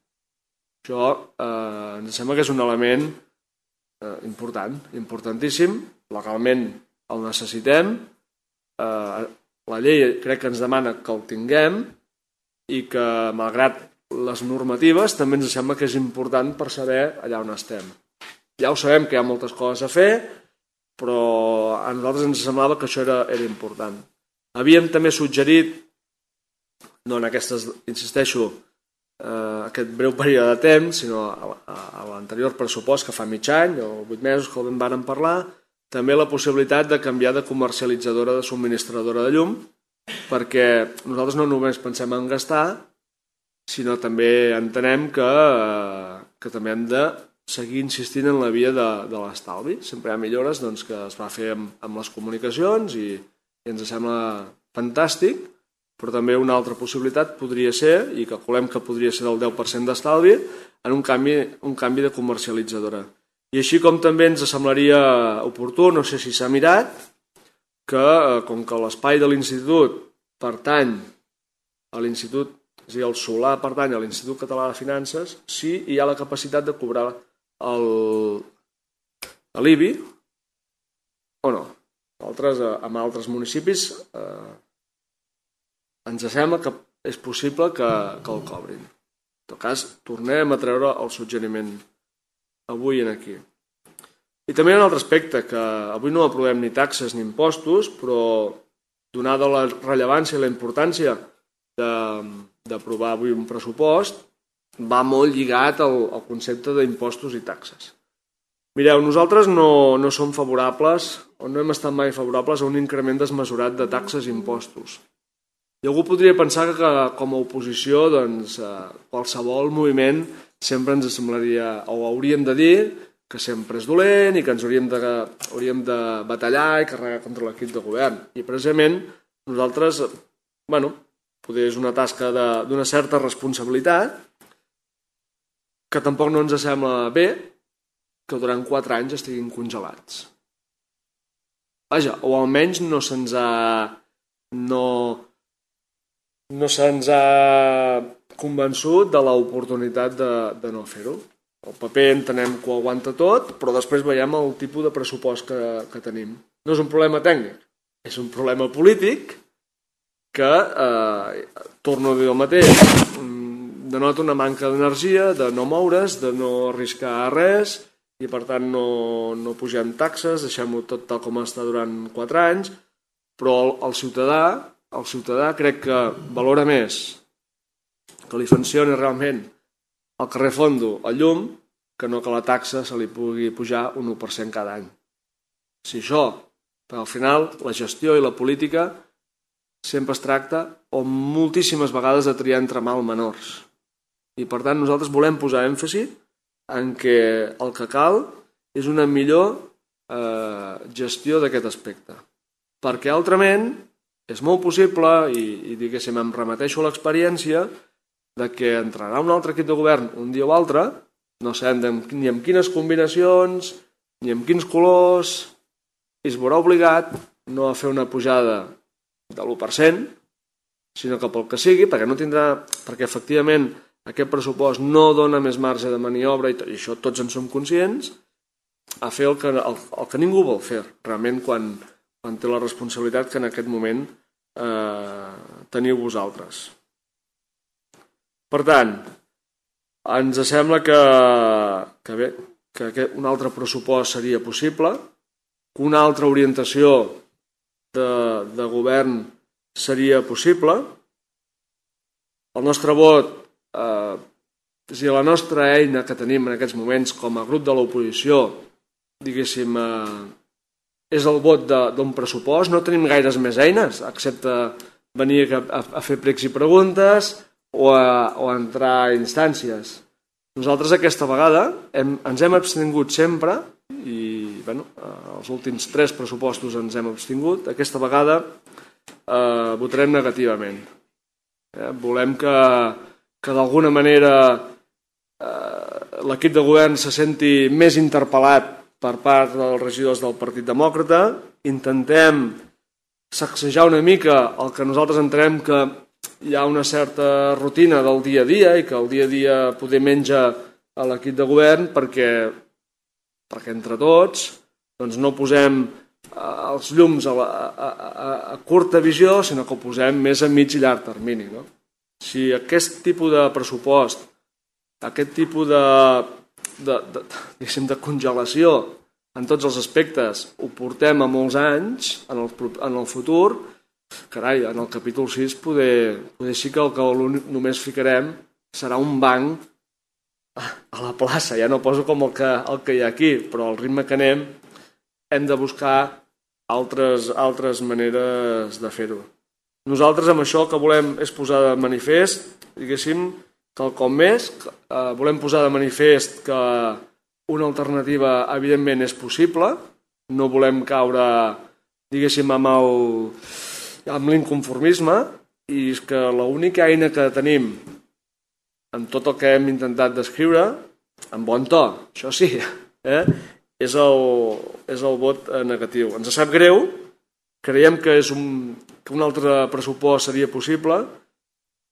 Això ens sembla que és un element importantíssim, legalment el necessitem, la llei crec que ens demana que el tinguem i que, malgrat les normatives, també ens sembla que és important per saber allà on estem. Ja ho sabem que hi ha moltes coses a fer, però a nosaltres ens semblava que això era important. Havíem també suggerit, no en aquestes, insisteixo, aquest breu període de temps, sinó a l'anterior pressupost que fa mig any o 8 mesos que en vàrem parlar, també la possibilitat de canviar de comercialitzadora de subministradora de llum, perquè nosaltres no només pensem en gastar, sinó també entenem que també hem de seguir insistint en la via de l'estalvi. Sempre hi ha millores que es va fer amb les comunicacions i ens sembla fantàstic, però també una altra possibilitat podria ser, i calculem que podria ser del 10% d'estalvi, en un canvi de comercialitzadora. I així com també ens semblaria oportú, no sé si s'ha mirat, que com que l'espai de l'institut pertany a l'institut, és a dir, el solar pertany a l'Institut Català de Finances, sí hi ha la capacitat de cobrar l'IBI o no. En altres municipis ens sembla que és possible que el cobrin. En tot cas, tornem a treure el suggeriment avui aquí. I també hi ha un altre aspecte, que avui no aprovem ni taxes ni impostos, però donada la rellevància i la importància d'aprovar avui un pressupost, va molt lligat al concepte d'impostos i taxes. Mireu, nosaltres no som favorables, o no hem estat mai favorables a un increment desmesurat de taxes i impostos. I algú podria pensar que com a oposició qualsevol moviment sempre ens semblaria, o hauríem de dir, que sempre és dolent i que ens hauríem de batallar i carregar contra l'equip de govern. I precisament nosaltres, potser és una tasca d'una certa responsabilitat, que tampoc no ens sembla bé que durant 4 anys estiguin congelats. Vaja, o almenys no se'ns ha convençut de l'oportunitat de no fer-ho. El paper entenem que ho aguanta tot, però després veiem el tipus de pressupost que tenim. No és un problema tècnic, és un problema polític que, torno a dir el mateix, denota una manca d'energia, de no moure's, de no arriscar res, i per tant no pugem taxes, deixem-ho tot tal com està durant 4 anys, però el ciutadà crec que valora més que li funcioni realment al carrer Fondo el llum que no que la taxa se li pugui pujar un 1% cada any. Si això, però al final la gestió i la política sempre es tracta o moltíssimes vegades de triar entre mal menors. I per tant nosaltres volem posar èmfasi en que el que cal és una millor gestió d'aquest aspecte. Perquè altrament és molt possible, i diguéssim em remeteixo a l'experiència, de que entrarà un altre equip de govern un dia o altre, no sabem ni amb quines combinacions, ni amb quins colors, i es veurà obligat no a fer una pujada de l'1%, sinó que pel que sigui, perquè efectivament aquest pressupost no dona més marge de maniobra, i això tots en som conscients, a fer el que ningú vol fer, realment quan té la responsabilitat que en aquest moment teniu vosaltres. Per tant, ens sembla que un altre pressupost seria possible, que una altra orientació de govern seria possible. El nostre vot, és a dir, la nostra eina que tenim en aquests moments com a grup de l'oposició, diguéssim, és el vot d'un pressupost. No tenim gaires més eines, excepte venir a fer pregs i preguntes o a entrar a instàncies. Nosaltres aquesta vegada ens hem abstingut sempre, i els últims 3 pressupostos ens hem abstingut. Aquesta vegada votarem negativament. Volem que d'alguna manera l'equip de govern se senti més interpel·lat per part dels regidors del Partit Demòcrata. Intentem sacsejar una mica el que nosaltres entenem que hi ha una certa rutina del dia a dia i que el dia a dia poder menja a l'equip de govern perquè entre tots no posem els llums a curta visió, sinó que ho posem més a mig i llarg termini. Si aquest tipus de pressupost, aquest tipus de congelació en tots els aspectes ho portem a molts anys en el futur, carai, en el capítol 6 poder sí que només ficarem serà un banc a la plaça. Ja no poso com el que hi ha aquí, però al ritme que anem hem de buscar altres maneres de fer-ho. Nosaltres amb això el que volem és posar de manifest, diguéssim, quelcom més. Volem posar de manifest que una alternativa evidentment és possible. No volem caure, diguéssim, amb l'inconformisme, i és que l'única eina que tenim en tot el que hem intentat descriure, en bon to, això sí, és el vot negatiu. Ens sap greu, creiem que un altre pressupost seria possible.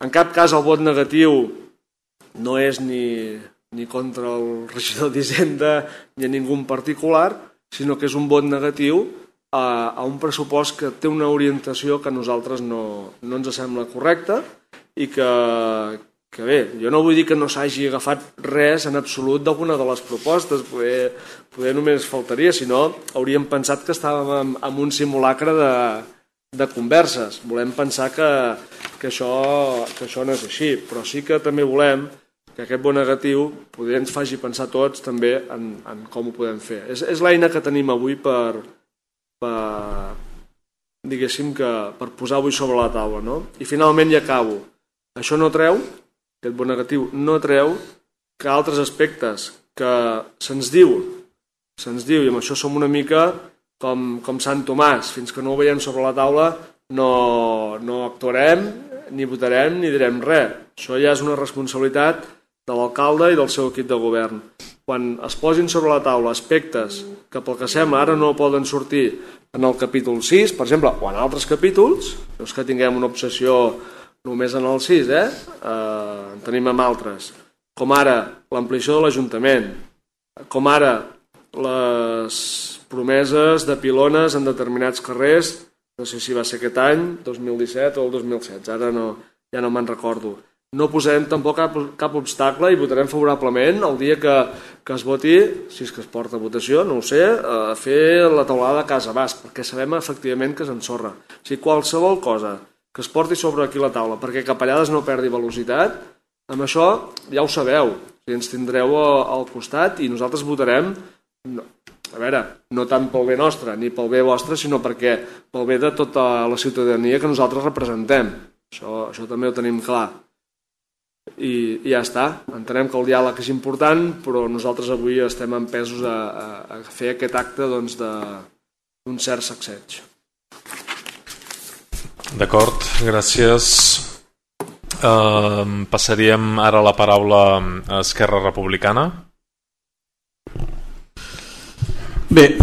En cap cas el vot negatiu no és ni contra el regidor d'Hisenda ni a ningú en particular, sinó que és un vot negatiu a un pressupost que té una orientació que a nosaltres no ens sembla correcta i que bé, jo no vull dir que no s'hagi agafat res en absolut d'alguna de les propostes, poder només faltaria, sinó hauríem pensat que estàvem en un simulacre de converses. Volem pensar que això no és així, però sí que també volem que aquest vot negatiu poder ens faci pensar tots també en com ho podem fer. És l'eina que tenim avui per diguéssim que per posar avui sobre la taula, no? I finalment ja acabo. Això no treu, aquest vot negatiu no treu que altres aspectes que se'ns diu, i amb això som una mica com Sant Tomàs, fins que no ho veiem sobre la taula no actuarem, ni votarem, ni direm res. Això ja és una responsabilitat de l'alcalde i del seu equip de govern. Quan es posin sobre la taula aspectes que pel que sembla ara no poden sortir en el capítol 6, per exemple, o en altres capítols, no és que tinguem una obsessió només en el 6, en tenim amb altres, com ara l'ampliació de l'Ajuntament, com ara les promeses de pilones en determinats carrers, no sé si va ser aquest any, 2017 o el 2016, ara ja no me'n recordo. No posarem tampoc cap obstacle i votarem favorablement el dia que es voti, si és que es porta a votació, no ho sé, a fer la taulada de Casa Basc, perquè sabem efectivament que s'ensorra. O sigui, qualsevol cosa que es porti sobre aquí la taula perquè Capellades no perdi velocitat, amb això ja ho sabeu, ens tindreu al costat i nosaltres votarem, a veure, no tant pel bé nostre ni pel bé vostre, sinó perquè pel bé de tota la ciutadania que nosaltres representem. Això també ho tenim clar. I ja està, entenem que el diàleg és important, però nosaltres avui estem empesos a fer aquest acte d'un cert sacseig. D'acord, gràcies. Passaríem ara la paraula a Esquerra Republicana. Bé,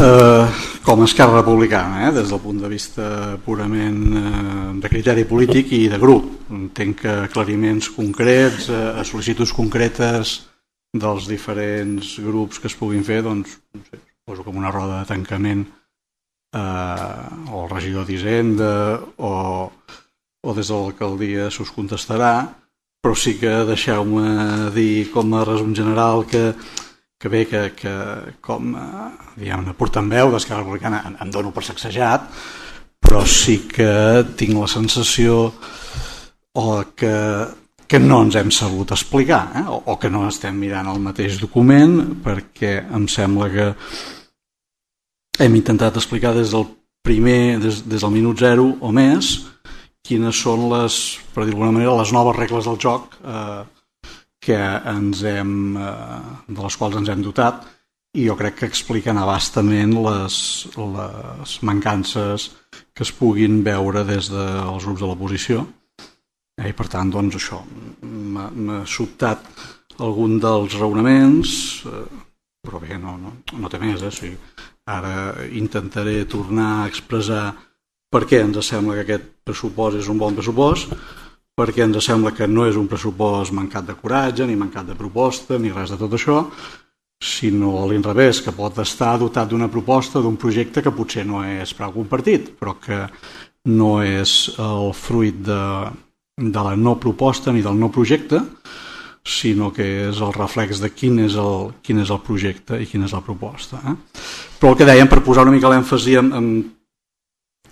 com a Esquerra Republicana, des del punt de vista purament de criteri polític i de grup, entenc que aclariments concrets, sol·licituds concretes dels diferents grups que es puguin fer, doncs, no sé, poso com una roda de tancament o el regidor d'Hisenda o des de l'alcaldia s'us contestarà, però sí que deixeu-me dir com a resum general que bé, que com diguem-ne portaveu d'Esquerra Republicana em dono per sacsejat, però sí que tinc la sensació que no ens hem sabut explicar, o que no estem mirant el mateix document, perquè em sembla que hem intentat explicar des del minut zero o més quines són per dir d'alguna manera, les noves regles del joc de les quals ens hem dotat, i jo crec que expliquen a bastament les mancances que es puguin veure des dels grups de l'oposició. I per tant, doncs això, m'ha sobtat algun dels raonaments, però bé, no té més. O sigui, ara intentaré tornar a expressar per què ens sembla que aquest pressupost és un bon pressupost, perquè ens sembla que no és un pressupost mancat de coratge, ni mancat de proposta, ni res de tot això, sinó a l'inrevés, que pot estar dotat d'una proposta, d'un projecte que potser no és prou compartit, però que no és el fruit de la no proposta ni del no projecte, sinó que és el reflex de quin és el projecte i quina és la proposta. Però el que dèiem, per posar una mica l'èmfasi en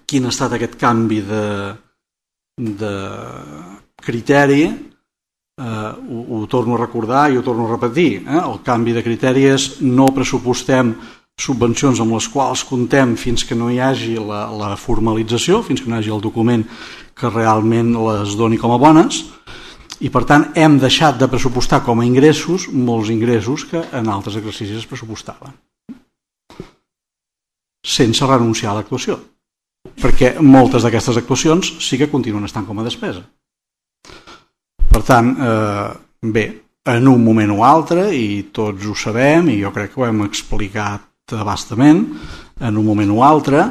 quin ha estat aquest canvi de criteri, ho torno a recordar i ho torno a repetir, el canvi de criteri és no pressupostem subvencions amb les quals comptem fins que no hi hagi la formalització, fins que no hi hagi el document que realment les doni com a bones, i per tant hem deixat de pressupostar com a ingressos molts ingressos que en altres exercicis es pressupostaven, sense renunciar a l'actuació, perquè moltes d'aquestes actuacions sí que continuen estant com a despesa. Per tant, bé, en un moment o altre, i tots ho sabem, i jo crec que ho hem explicat a bastament, en un moment o altre,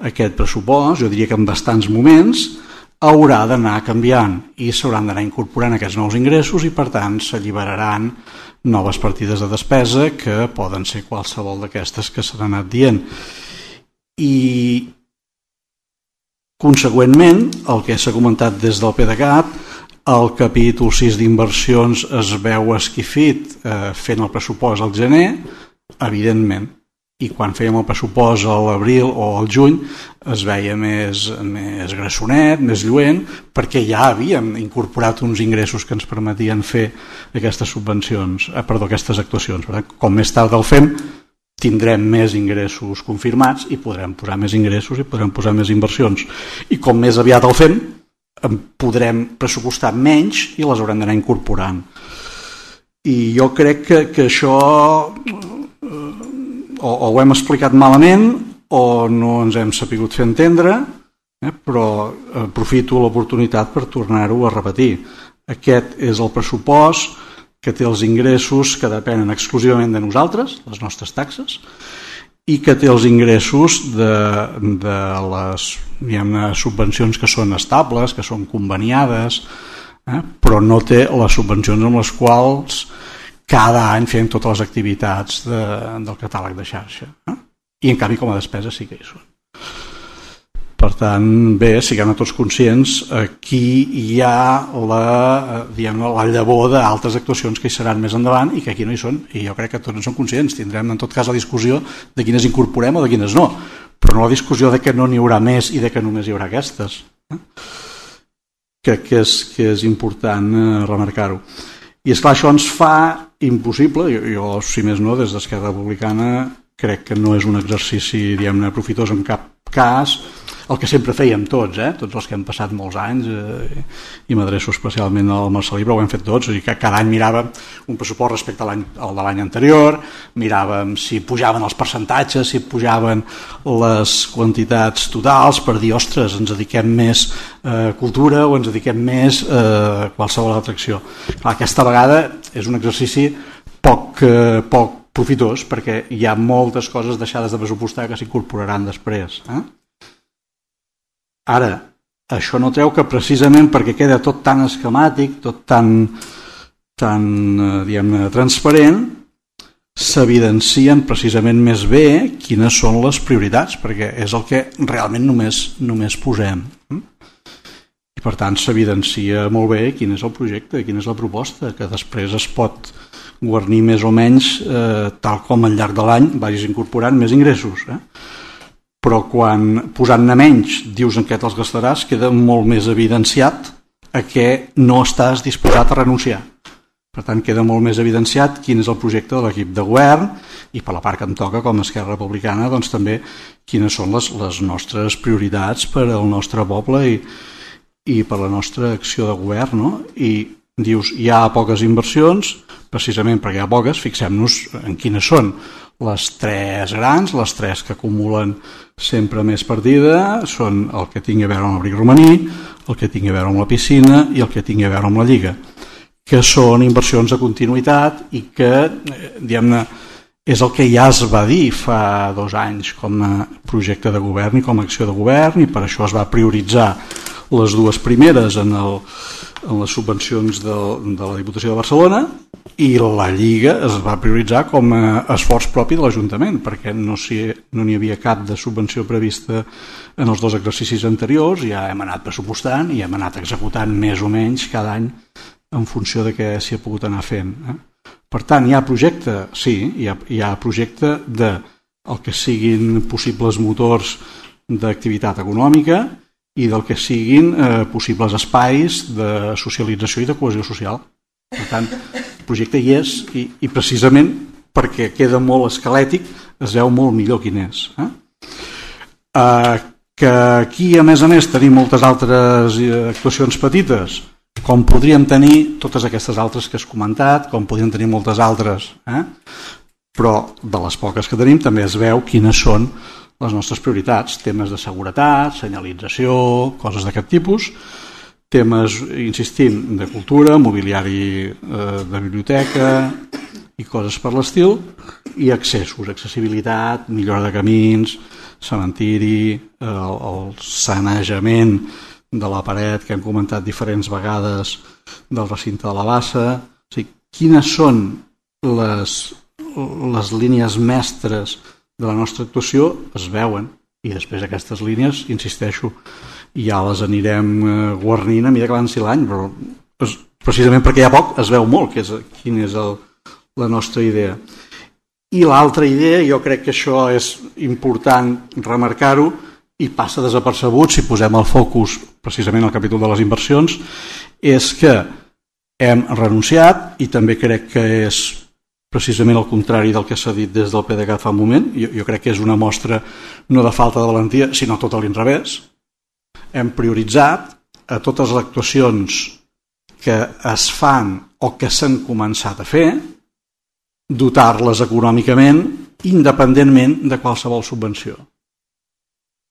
aquest pressupost, jo diria que en bastants moments, haurà d'anar canviant i s'hauran d'anar incorporant aquests nous ingressos i, per tant, s'alliberaran noves partides de despesa que poden ser qualsevol d'aquestes que s'han anat dient. I, consegüentment, el que s'ha comentat des del PDeCAT, el capítol 6 d'inversions es veu esquifit fent el pressupost al gener, evidentment, i quan fèiem el pressupost a l'abril o al juny es veia més grassonet, més lluent, perquè ja havíem incorporat uns ingressos que ens permetien fer aquestes aquestes actuacions. Com més tard el fem, tindrem més ingressos confirmats i podrem posar més ingressos i podrem posar més inversions. I com més aviat el fem, podrem pressupostar menys i les haurem d'anar incorporant. I jo crec que això o ho hem explicat malament o no ens hem sapigut fer entendre, però aprofito l'oportunitat per tornar-ho a repetir. Aquest és el pressupost que té els ingressos que depenen exclusivament de nosaltres, les nostres taxes, i que té els ingressos de les subvencions que són estables, que són conveniades, però no té les subvencions amb les quals cada any fem totes les activitats del catàleg de xarxa. I en canvi com a despesa sí que hi són. Per tant, bé, siguem tots conscients, aquí hi ha la llavor d'altres actuacions que hi seran més endavant i que aquí no hi són, i jo crec que tots en som conscients. Tindrem en tot cas la discussió de quines incorporem o de quines no, però no la discussió de que no n'hi haurà més i de que només hi haurà aquestes. Crec que és important remarcar-ho. I esclar, això ens fa impossible, jo si més no, des d'Esquerra Republicana crec que no és un exercici, diguem-ne, profitós en cap cas, el que sempre fèiem tots, tots els que hem passat molts anys, i m'adreço especialment al Marcelí, però ho hem fet tots, i que cada any miràvem un pressupost respecte al de l'any anterior, miràvem si pujaven els percentatges, si pujaven les quantitats totals, per dir, ostres, ens dediquem més a cultura o ens dediquem més a qualsevol altra acció. Clar, aquesta vegada és un exercici poc profitós, perquè hi ha moltes coses deixades de pressupostar que s'incorporaran després. Ara, això no treu que precisament perquè queda tot tan esquemàtic, tot tan diguem-ne, transparent, s'evidencien precisament més bé quines són les prioritats, perquè és el que realment només posem. I per tant s'evidencia molt bé quin és el projecte, quina és la proposta, que després es pot guarnir més o menys tal com al llarg de l'any vagis incorporant més ingressos. Però quan posant-ne menys dius en què te'ls gastaràs, queda molt més evidenciat a què no estàs disposat a renunciar. Per tant, queda molt més evidenciat quin és el projecte de l'equip de govern i per la part que em toca com a Esquerra Republicana doncs també quines són les nostres prioritats per al nostre poble i per la nostra acció de govern. No? I dius, hi ha poques inversions, precisament perquè hi ha poques, fixem-nos en quines són. Les tres grans, les tres que acumulen sempre més partida, són el que tingui a veure amb l'abric romaní, el que tingui a veure amb la piscina i el que tingui a veure amb la Lliga, que són inversions de continuïtat i que, diguem-ne, és el que ja es va dir fa 2 anys com a projecte de govern i com a acció de govern, i per això es va prioritzar les dues primeres en les subvencions de la Diputació de Barcelona, i la Lliga es va prioritzar com a esforç propi de l'Ajuntament, perquè no n'hi havia cap de subvenció prevista en els 2 exercicis anteriors, ja hem anat pressupostant i hem anat executant més o menys cada any en funció de què s'hi ha pogut anar fent. Per tant, hi ha projecte, sí, hi ha projecte de el que siguin possibles motors d'activitat econòmica i del que siguin possibles espais de socialització i de cohesió social. Per tant, el projecte hi és i precisament perquè queda molt esquelètic es veu molt millor quin és. Que aquí, a més, tenim moltes altres actuacions petites, com podríem tenir totes aquestes altres que has comentat, com podríem tenir moltes altres, però de les poques que tenim també es veu quines són les nostres prioritats, temes de seguretat, senyalització, coses d'aquest tipus, temes, insistim, de cultura, mobiliari de biblioteca i coses per l'estil, i accessos, accessibilitat, millora de camins, cementiri, el sanejament de la paret que hem comentat diferents vegades del recinte de la bassa. O sigui, quines són les línies mestres de la nostra actuació es veuen, i després aquestes línies, insisteixo, ja les anirem guarnint a mesura que avanci l'any, però precisament perquè hi ha poc es veu molt quina és la nostra idea. I l'altra idea, jo crec que això és important remarcar-ho i passa desapercebut si posem el focus precisament al capítol de les inversions, és que hem renunciat, i també crec que és precisament el contrari del que s'ha dit des del PDeCAT fa un moment. Jo crec que és una mostra no de falta de valentia, sinó tot a l'inrevés. Hem prioritzat a totes les actuacions que es fan o que s'han començat a fer, dotar-les econòmicament independentment de qualsevol subvenció.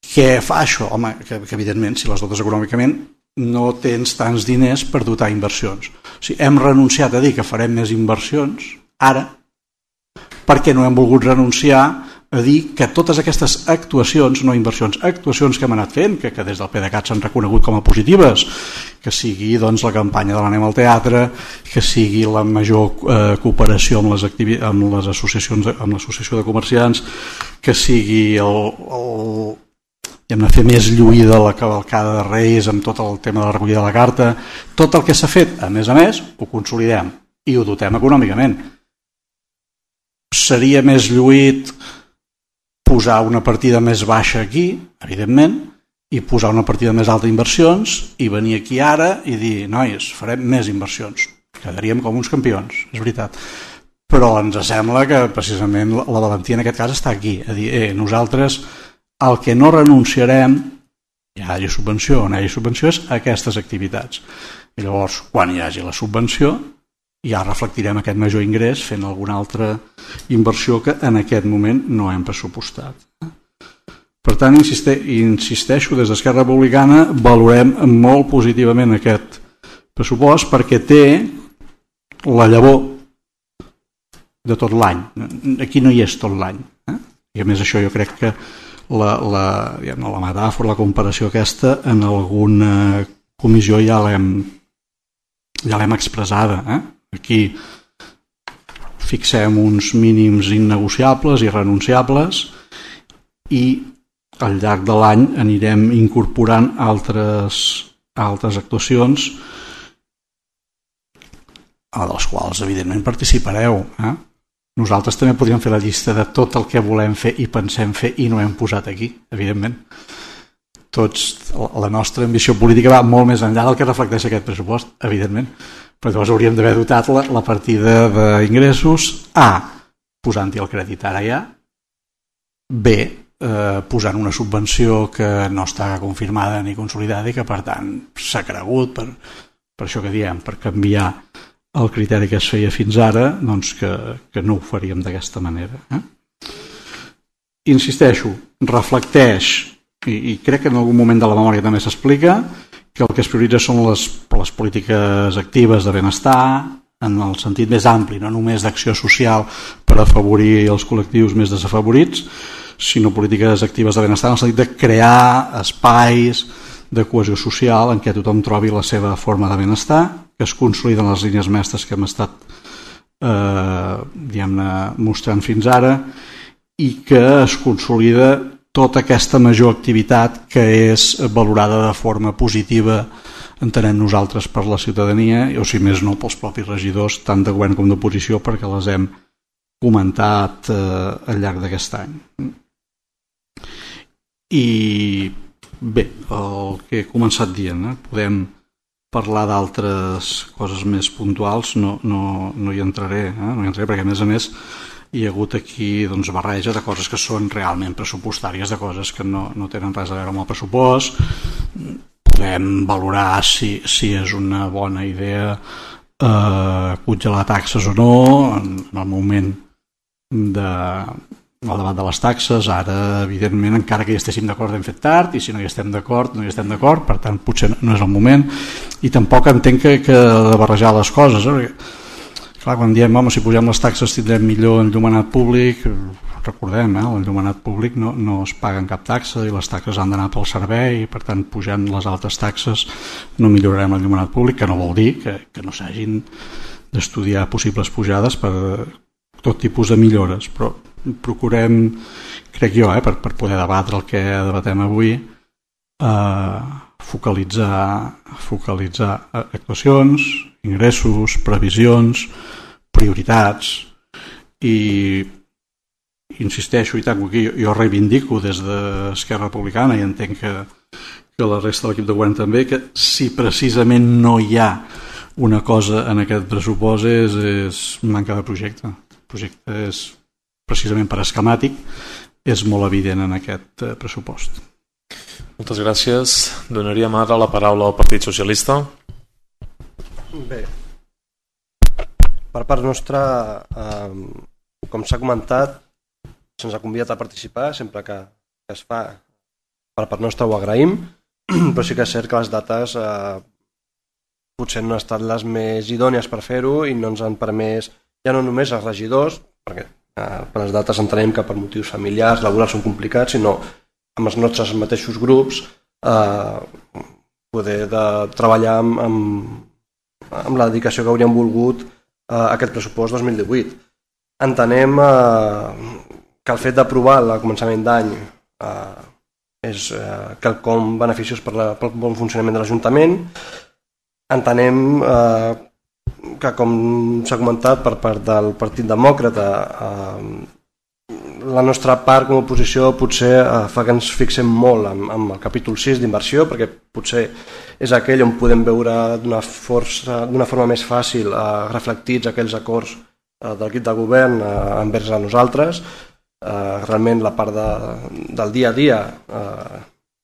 Què fa això? Home, que evidentment, si les dotes econòmicament, no tens tants diners per dotar inversions. O sigui, hem renunciat a dir que farem més inversions ara perquè no hem volgut renunciar a dir que totes aquestes actuacions, no inversions, actuacions que hem anat fent, que des del PDeCAT s'han reconegut com a positives, que sigui la campanya de l'Anem al Teatre, que sigui la major cooperació amb les associacions, amb l'associació de comerciants, que sigui hem de fer més lluïda la cavalcada de Reis amb tot el tema de la recollida de la carta. Tot el que s'ha fet, a més, ho consolidem i ho dotem econòmicament. Seria més lluït posar una partida més baixa aquí, evidentment, i posar una partida més alta d'inversions i venir aquí ara i dir, nois, farem més inversions. Quedaríem com uns campions, és veritat. Però ens sembla que precisament la valentia en aquest cas està aquí, a dir, nosaltres el que no renunciarem, hi hagi subvenció o no hi hagi subvenció, és a aquestes activitats. I llavors, quan hi hagi la subvenció, ja reflectirem aquest major ingrés fent alguna altra inversió que en aquest moment no hem pressupostat. Per tant, insisteixo, des d'Esquerra Republicana valorem molt positivament aquest pressupost perquè té la llavor de tot l'any. Aquí no hi és tot l'any. I a més això jo crec que la metàfora, la comparació aquesta, en alguna comissió ja l'hem expressada. Aquí fixem uns mínims innegociables i renunciables i al llarg de l'any anirem incorporant altres actuacions a les quals evidentment participareu. Nosaltres també podríem fer la llista de tot el que volem fer i pensem fer i no hem posat aquí, evidentment. La nostra ambició política va molt més enllà del que reflecteix aquest pressupost, evidentment, però llavors hauríem d'haver dotat la partida d'ingressos posant-hi el crèdit ara ja, posant una subvenció que no està confirmada ni consolidada i que per tant s'ha cregut per això que diem, per canviar el criteri que es feia fins ara, doncs que no ho faríem d'aquesta manera. Insisteixo, reflecteix, i crec que en algun moment de la memòria també s'explica, que el que es prioritza són les polítiques actives de benestar, en el sentit més ampli, no només d'acció social per afavorir els col·lectius més desafavorits, sinó polítiques actives de benestar en el sentit de crear espais de cohesió social en què tothom trobi la seva forma de benestar, que es consoliden les línies mestres que hem estat mostrant fins ara i que es consolida tota aquesta major activitat que és valorada de forma positiva, entenem nosaltres, per la ciutadania, o si més no pels propis regidors, tant de govern com d'oposició, perquè les hem comentat al llarg d'aquest any. I bé, el que he començat dient, podem parlar d'altres coses més puntuals no hi entraré, perquè a més hi ha hagut aquí barreja de coses que són realment pressupostàries, de coses que no tenen res a veure amb el pressupost. Podem valorar si és una bona idea congelar taxes o no en el moment del debat de les taxes. Ara, evidentment, encara que hi estéssim d'acord hem fet tard, i si no hi estem d'acord, no hi estem d'acord, per tant potser no és el moment, i tampoc entenc que de barrejar les coses, perquè clar, quan diem, si pugem les taxes tindrem millor enllumenat públic, recordem, l'enllumenat públic no es paga en cap taxa i les taxes han d'anar pel servei, i per tant pujant les altes taxes no millorarem l'enllumenat públic, que no vol dir que no s'hagin d'estudiar possibles pujades per tot tipus de millores, però procurem, crec jo, per poder debatre el que debatem avui, focalitzar actuacions, ingressos, previsions, prioritats, i insisteixo, i tant, jo reivindico des d'Esquerra Republicana, i entenc que la resta de l'equip de govern també, que si precisament no hi ha una cosa en aquest pressupost és manca de projecte. El projecte és precisament per esquemàtic, és molt evident en aquest pressupost. Moltes gràcies. Donaríem ara la paraula al Partit Socialista. Bé, per part nostra, com s'ha comentat, se'ns ha convidat a participar sempre que es fa. Per part nostra ho agraïm, però sí que és cert que les dates potser no han estat les més idònies per fer-ho i no ens han permès, ja no només els regidors, perquè per les dates entenem que per motius familiars, laborals són complicats, sinó amb els nostres mateixos grups poder treballar amb la dedicació que hauríem volgut a aquest pressupost 2018. Entenem que el fet d'aprovar al començament d'any és quelcom beneficiós pel bon funcionament de l'Ajuntament. Entenem que, com s'ha comentat per part del Partit Demòcrata, la nostra part com a oposició potser fa que ens fixem molt en el capítol 6 d'inversió, perquè potser és aquell on podem veure d'una forma més fàcil reflectits aquells acords de l'equip de govern envers a nosaltres. Realment la part del dia a dia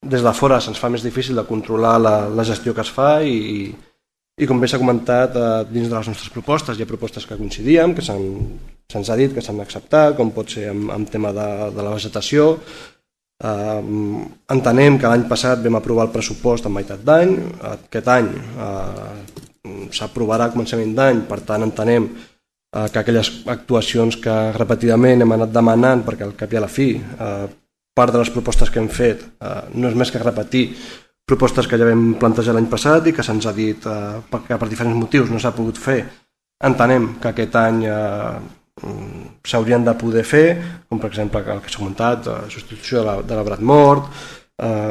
des de fora se'ns fa més difícil de controlar la gestió que es fa i com bé s'ha comentat, dins de les nostres propostes hi ha propostes que coincidíem, que se'ns ha dit que s'han acceptat, com pot ser en tema de la vegetació. Entenem que l'any passat vam aprovar el pressupost en meitat d'any, aquest any s'aprovarà a començament d'any, per tant entenem que aquelles actuacions que repetidament hem anat demanant, perquè al cap i a la fi part de les propostes que hem fet no és més que repetir propostes que ja vam plantejar l'any passat i que se'ns ha dit que per diferents motius no s'ha pogut fer. Entenem que aquest any s'haurien de poder fer, com per exemple el que s'ha comentat, la substitució de l'arbrat mort,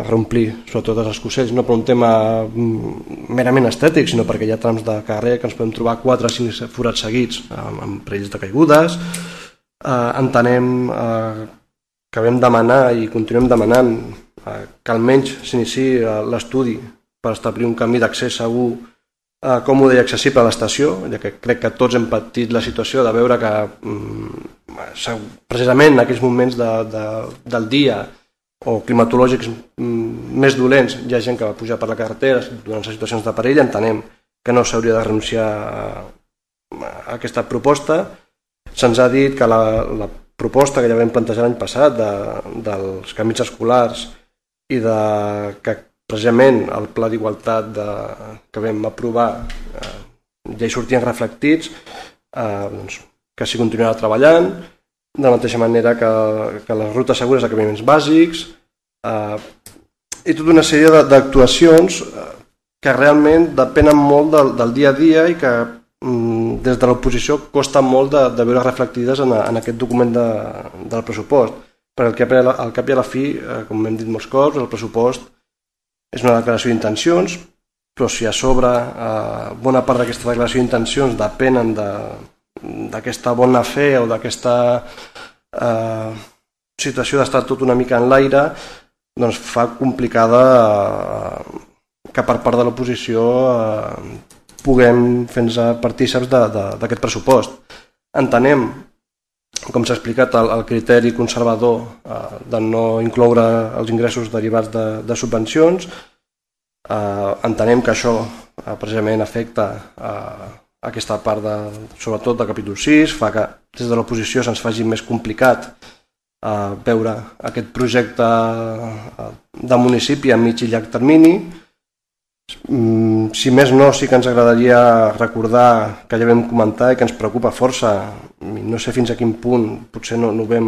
reomplir sobretot els escocells, no per un tema merament estètic, sinó perquè hi ha trams de carrer que ens podem trobar 4 o 5 forats seguits amb perills de caigudes. Entenem que vam demanar i continuem demanant que almenys s'iniciï l'estudi per establir un camí d'accés segur, còmode i accessible a l'estació, ja que crec que tots hem patit la situació de veure que precisament en aquells moments del dia o climatològics més dolents hi ha gent que va pujar per la carretera durant les situacions de perill. Entenem que no s'hauria de renunciar a aquesta proposta. Se'ns ha dit que la proposta que ja vam plantejar l'any passat dels camins escolars i que precisament el pla d'igualtat que vam aprovar ja hi sortien reflectits, que s'hi continuarà treballant, de la mateixa manera que les rutes segures d'acabaments bàsics i tota una sèrie d'actuacions que realment depenen molt del dia a dia i que des de l'oposició costa molt de veure reflectides en aquest document del pressupost. Perquè al cap i a la fi, com hem dit molts cops, el pressupost és una declaració d'intencions, però si a sobre bona part d'aquesta declaració d'intencions depenen d'aquesta bona fe o d'aquesta situació d'estar tot una mica en l'aire, doncs fa complicada que per part de l'oposició puguem fer-nos partíceps d'aquest pressupost. Entenem, com s'ha explicat, el criteri conservador de no incloure els ingressos derivats de subvencions. Entenem que això precisament afecta aquesta part, sobretot de capítol 6, fa que des de l'oposició se'ns faci més complicat veure aquest projecte de municipi a mig i llarg termini. Si més no, sí que ens agradaria recordar que ja vam comentar i que ens preocupa força, no sé fins a quin punt, potser no ho vam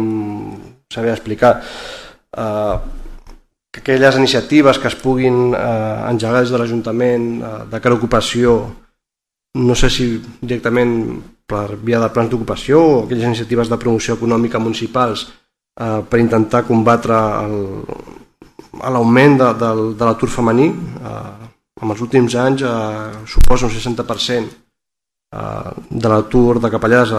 saber explicar, que aquelles iniciatives que es puguin engegar des de l'Ajuntament de cara a ocupació, no sé si directament per via de plans d'ocupació o aquelles iniciatives de promoció econòmica municipals per intentar combatre l'augment de l'atur femení. En els últims anys suposa un 60% de l'atur de capellades,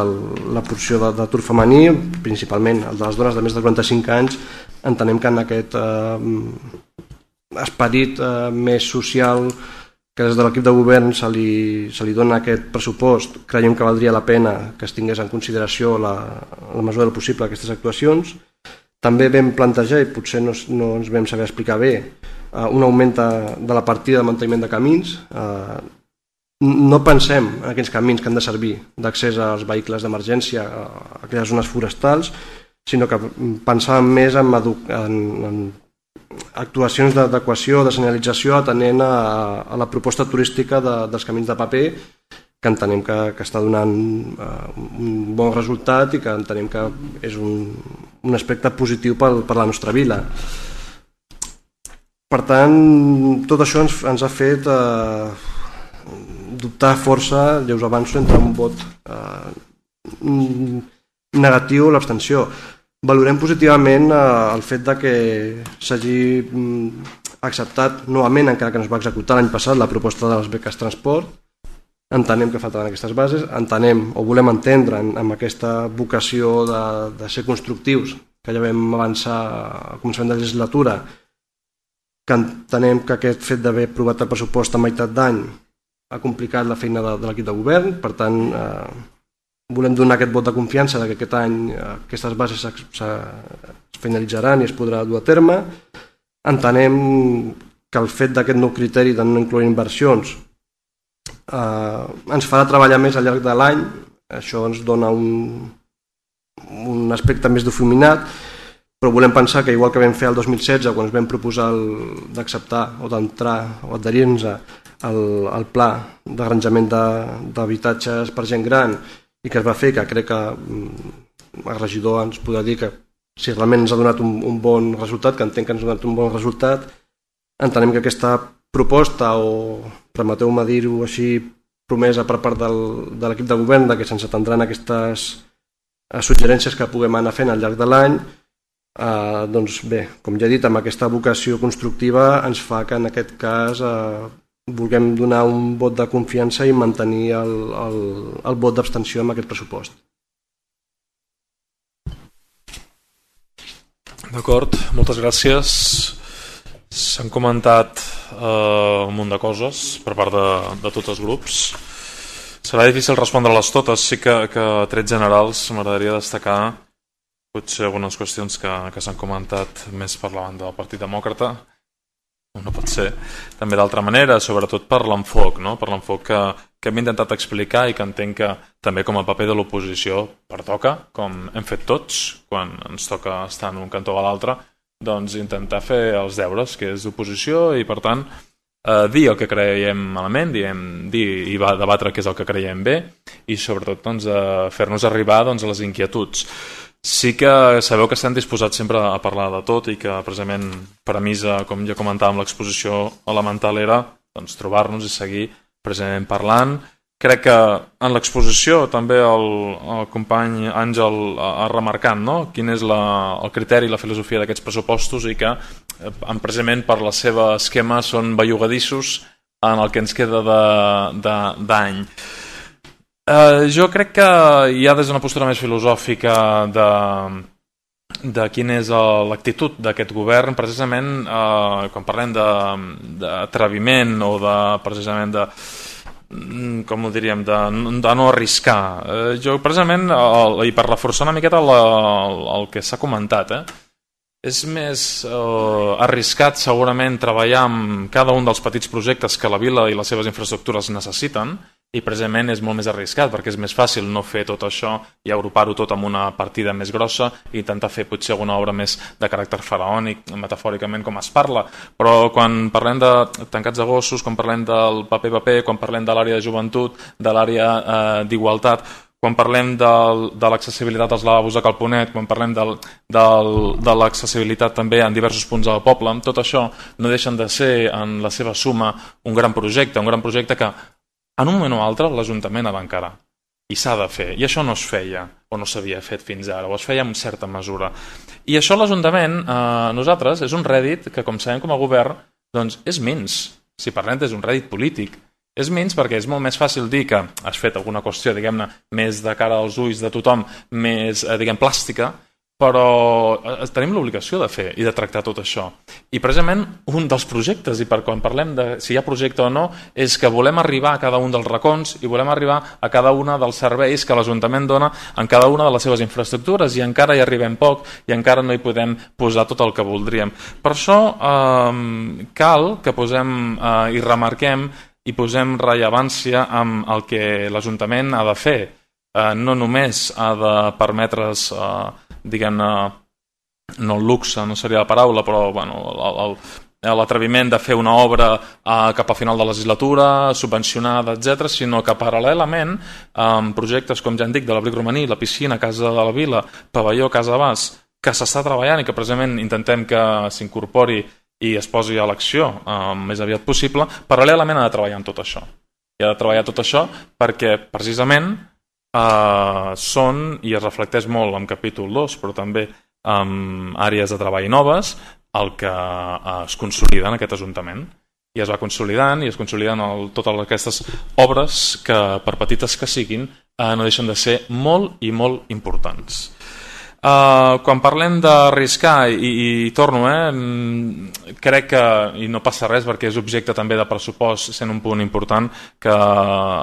la porció d'atur femení, principalment el de les dones de més de 45 anys. Entenem que en aquest esperit més social que des de l'equip de govern se li dona aquest pressupost, creiem que valdria la pena que es tingués en consideració la mesura del possible aquestes actuacions. També vam plantejar, i potser no ens vam saber explicar bé, un augment de la partida de manteniment de camins. No pensem en aquells camins que han de servir d'accés als vehicles d'emergència a aquelles zones forestals, sinó que pensàvem més en actuacions d'adequació, de senyalització, atenent a la proposta turística dels camins de paper, que entenem que està donant un bon resultat i que entenem que és un aspecte positiu per la nostra vila. Per tant, tot això ens ha fet dubtar força, ja us avanço, entre un vot negatiu o l'abstenció. Valorem positivament el fet de que s'hagi acceptat novament, encara que no es va executar l'any passat, la proposta de les beques transport. Entenem que faltaven aquestes bases, entenem o volem entendre amb aquesta vocació de ser constructius, que ja vam avançar al començament de la legislatura, que entenem que aquest fet d'haver aprovat el pressupost a meitat d'any ha complicat la feina de l'equip de govern. Per tant, volem donar aquest vot de confiança que aquest any aquestes bases es finalitzaran i es podrà dur a terme. Entenem que el fet d'aquest nou criteri de no incloure inversions ens farà treballar més al llarg de l'any. Això ens dona un aspecte més difuminat, però volem pensar que igual que vam fer el 2016 quan ens vam proposar d'acceptar o d'entrar o adherir-nos al pla d'arranjament d'habitatges per gent gran i que es va fer, que crec que el regidor ens podrà dir que si realment ens ha donat un bon resultat, que entenc que ens ha donat un bon resultat, entenem que aquesta proposta, o permeteu-me dir-ho així, promesa per part de l'equip de govern de que se'ns atendran aquestes suggerències que puguem anar fent al llarg de l'any, doncs bé, com ja he dit, amb aquesta vocació constructiva ens fa que en aquest cas vulguem donar un vot de confiança i mantenir el vot d'abstenció amb aquest pressupost. D'acord, moltes gràcies. S'han comentat un munt de coses per part de tots els grups. Serà difícil respondre-les totes, sí que a trets generals m'agradaria destacar potser algunes qüestions que s'han comentat més per la banda del Partit Demòcrata. No pot ser també d'altra manera, sobretot per l'enfoc, no? Per l'enfoc que hem intentat explicar i que entenc que també com a paper de l'oposició pertoca, com hem fet tots quan ens toca estar en un cantó o a l'altre, doncs intentar fer els deures, que és d'oposició, i per tant dir el que creiem malament, dir i debatre què és el que creiem bé, i sobretot doncs, fer-nos arribar doncs, a les inquietuds. Sí que sabeu que estem disposats sempre a parlar de tot i que precisament premissa, com ja comentàvem, l'exposició elemental era doncs, trobar-nos i seguir precisament parlant. Crec que en l'exposició també el company Àngel ha remarcat, no? Quin és el criteri i la filosofia d'aquests pressupostos i que precisament per la seva esquema són bellugadissos en el que ens queda d'any. Jo crec que ja des d'una postura més filosòfica de quina és l'actitud d'aquest govern, precisament quan parlem d'atreviment o precisament de, com ho diríem, de no arriscar. Jo precisament, i per reforçar una miqueta el que s'ha comentat, és més arriscat segurament treballar amb cada un dels petits projectes que la vila i les seves infraestructures necessiten, i precisament és molt més arriscat perquè és més fàcil no fer tot això i agrupar-ho tot amb una partida més grossa i intentar fer potser alguna obra més de caràcter faraònic, metafòricament com es parla, però quan parlem de tancats de gossos, quan parlem del paper, quan parlem de l'àrea de joventut, de l'àrea d'igualtat, quan parlem de l'accessibilitat als lavabos de Calponet, quan parlem de l'accessibilitat també en diversos punts del poble, tot això no deixen de ser en la seva suma un gran projecte que en un moment o altre l'Ajuntament ha d'encarar i s'ha de fer, i això no es feia o no s'havia fet fins ara, o es feia en certa mesura, i això l'Ajuntament nosaltres és un rèdit que, com sabem com a govern, doncs és menys, si parlem és un rèdit polític, és menys perquè és molt més fàcil dir que has fet alguna qüestió, diguem-ne, més de cara als ulls de tothom, més, diguem, plàstica, però tenim l'obligació de fer i de tractar tot això. I precisament un dels projectes, i per quan parlem de si hi ha projecte o no, és que volem arribar a cada un dels racons i volem arribar a cada una dels serveis que l'Ajuntament dona en cada una de les seves infraestructures, i encara hi arribem poc i encara no hi podem posar tot el que voldríem. Per això cal que posem i remarquem i posem rellevància amb el que l'Ajuntament ha de fer. No només ha de permetre's diguem-ne, no el luxe, no seria la paraula, però l'atreviment de fer una obra cap a final de legislatura, subvencionada, etc., sinó que paral·lelament amb projectes, com ja en dic, de l'abric romaní, la piscina, Casa de la Vila, pavelló, Casa Bas, que s'està treballant i que precisament intentem que s'incorpori i es posi a l'acció més aviat possible, paral·lelament ha de treballar en tot això. I ha de treballar tot això perquè precisament són, i es reflecteix molt en capítol 2, però també en àrees de treball noves, el que es consolida en aquest Ajuntament. I es va consolidant, i es consoliden totes aquestes obres que, per petites que siguin, no deixen de ser molt i molt importants. Quan parlem d'arriscar, i torno, crec que, i no passa res perquè és objecte també de pressupost, sent un punt important, que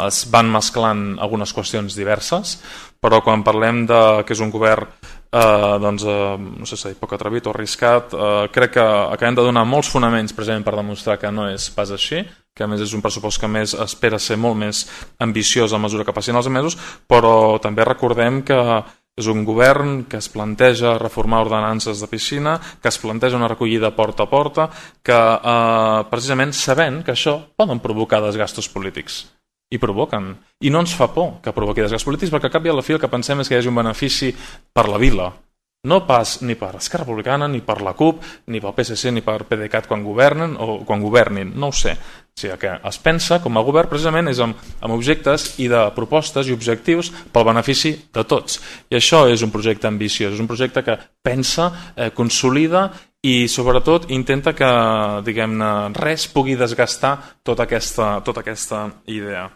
es van mesclant algunes qüestions diverses, però quan parlem que és un govern no sé si poc atrevit o arriscat, crec que acabem de donar molts fonaments precisament per demostrar que no és pas així, que a més és un pressupost que més espera ser molt més ambiciós a mesura que passin els mesos, però també recordem que és un govern que es planteja reformar ordenances de piscina, que es planteja una recollida porta a porta, que precisament sabent que això poden provocar desgastos polítics. I provoquen. I no ens fa por que provoqui desgastos polítics, perquè al cap i a la fi el que pensem és que hi hagi un benefici per la vila. No pas ni per Esquerra Republicana, ni per la CUP, ni pel PSC, ni per PDeCAT quan governen o quan governin, no ho sé. O sigui que es pensa com a govern precisament és amb objectes i de propostes i objectius pel benefici de tots. I això és un projecte ambiciós, és un projecte que pensa, consolida i sobretot intenta que, diguem-ne, res pugui desgastar tota aquesta idea.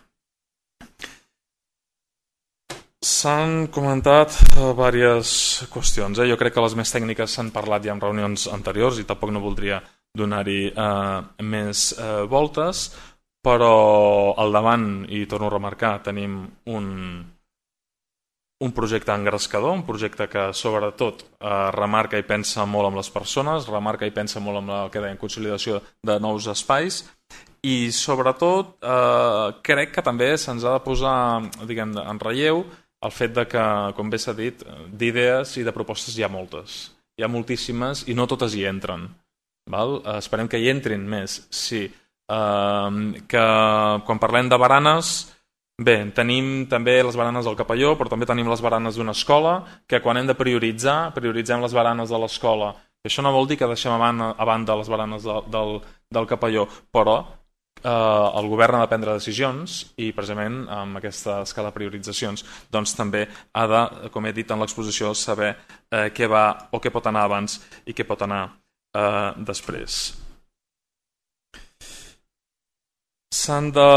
S'han comentat diverses qüestions. Jo crec que les més tècniques s'han parlat ja en reunions anteriors i tampoc no voldria donar-hi més voltes, però al davant, i torno a remarcar, tenim un projecte engrescador, un projecte que sobretot remarca i pensa molt amb les persones, remarca i pensa molt amb la que deien consolidació de nous espais, i sobretot crec que també se'ns ha de posar, diguem, en relleu el fet de que, com bé s'ha dit, d'idees i de propostes hi ha moltes. Hi ha moltíssimes i no totes hi entren. Esperem que hi entrin més. Sí. Que quan parlem de baranes, bé, tenim també les baranes del Capelló, però també tenim les baranes d'una escola, que quan hem de prioritzem les baranes de l'escola. Això no vol dir que deixem a banda les baranes del Capelló, però el govern ha de prendre decisions i precisament amb aquesta escala de prioritzacions doncs també ha de, com he dit en l'exposició, saber què va o què pot anar abans i què pot anar després. S'han de